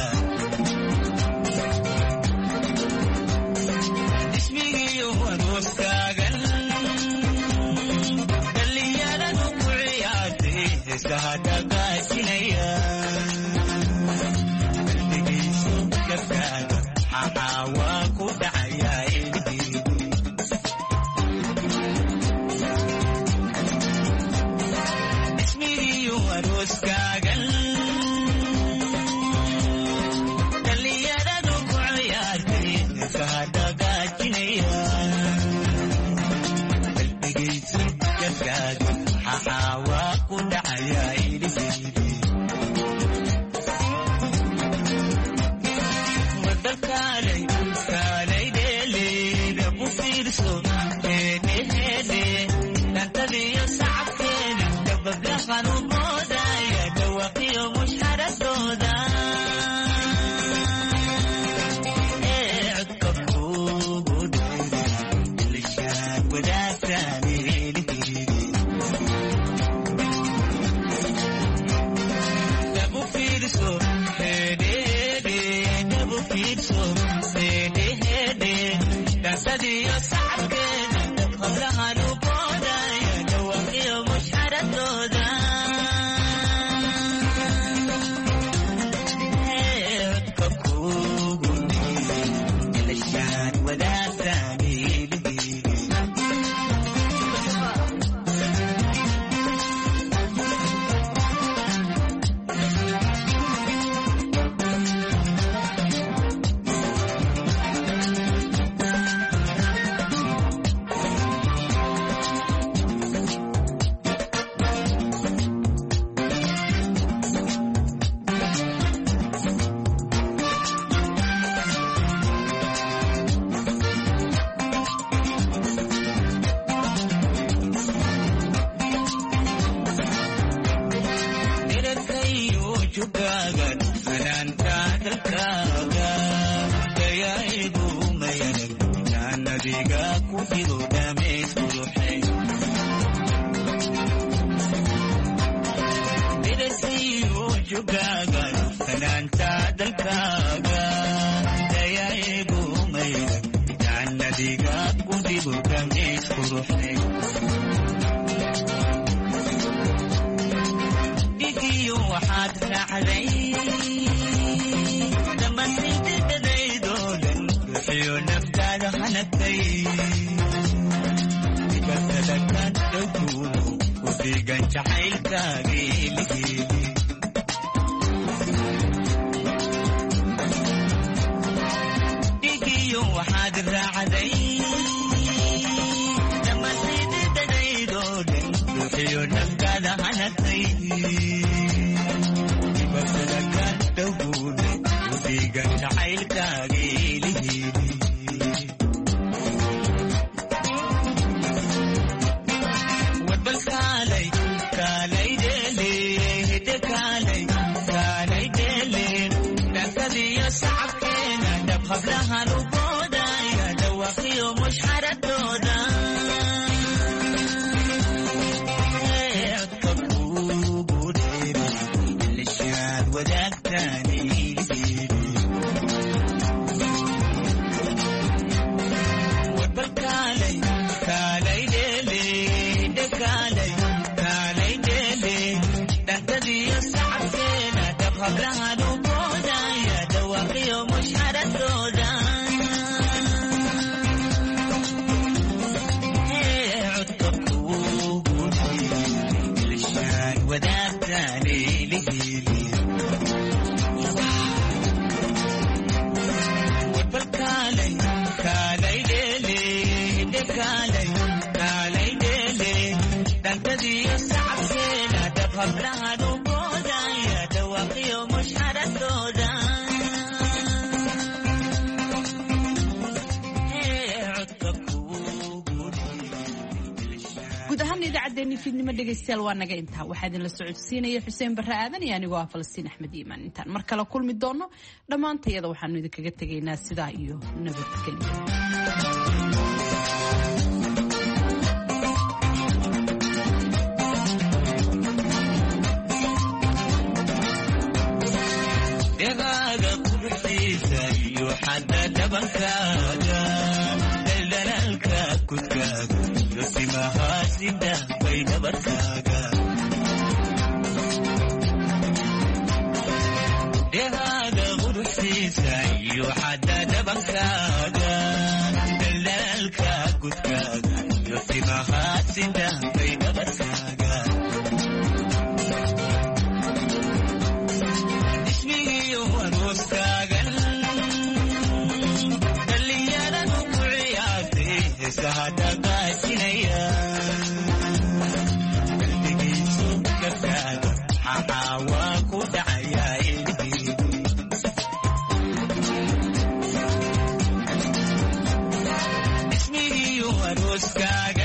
Ismigiyo arooskaagan dhallinyaradu ku ciyaartay, heesaha dhaqaajinaya. Qalbigiisu gabkaaga xaxaa waa ku dhacayaa ilmihiigu. fiirso heedhe heedhe dhantadiyo sacabkeeda dabablahan u moodaya dhawaqiyo mushxaradooda ee codka kuugu dheeri ilishaad wadaagtaan helihiidi dhabu fiirso heedhe heedhe dhabu fiirso heedhe heedhe dhantadiyo sacabkeeda qablahan u boodaya dhawaqiyo mushxaradooda ee codka kuugu dheeri ilishaad wadaagtaan helihiidi. Dhererkayo jugaagan fanaanta dalkaaga dayaigu mayanag naanadiga ku jiro dhameys quruxay. Dhererkayo jugaagan fanaanta dalkaaga dayaigu mayanag naanadiga ku jiro dhameys quruxay. Dhigiyo waxaad raacday dhammaantaydadaydoo dhan ruuxiyo naftaada hanagtay dhibaatada ka dhowkuuno ku dhigan jacaylkaaga heliheedi. Dhigiyo waxaad raacday dhammaantaydadaydoo dhan ruuxiyo naftaada hanagtay dhibaatada ka dhowkuuno ku dhigan jacaylkaaga heliheedi. Warbal kaalay kaalay dheele hidde kaalay kaalay dheele dhankadiyo sacabkeena dhab hablahan u boodaya dhawaqiyo mushxaradooda ee codka kuugu dheeri ilishaad wadaagtaan heliheedi. Warbal kaalay kaalay dheele hidde kaalay kaalay dheele dhantadiyo sacabkeena dhab hablahan u boodaya dhawaqiyo mushxaradooda ee codka kuugu dheeri ilishaad wadaagtaan heliheedi. Warbal kaalay kaalay dheele hidde kaalay kaalay dheele dhantadiyo sacabkeena dhab hablahan u boodaya dhawaqiyo mushxaradooda ee codka kuugu Guud ahaan idaacaddeenni fiidnimo dhegaystayaal waa naga intaa. Waxaa idinla socodsiinaya Xuseen Barre Aadan iyo anigoo ah Falastiin Axmed Iimaan. Intaan mar kale kulmi doono dhammaantayada waxaanu idinkaga tegaynaa sidaa iyo nabadgelyo. Dhegaaga quruxdiisa iyo xadda dhabankaaga daldalaalka kudkaaga iyo simahaasida bay dhabarkaaga. Dhegaaga quruxdiisa iyo xadda dhabankaaga daldalaalka kudkaaga iyo simahaasida bay dhabarkaaga. Ismigiyo arooskaagan dhallinyaradu ku ciyaartay heesaha dhaqaajinaya qalbigiisu gabkaaga maxaa waa ku dhacayaa ilmihiigu. Ismigiyo Codkaaga.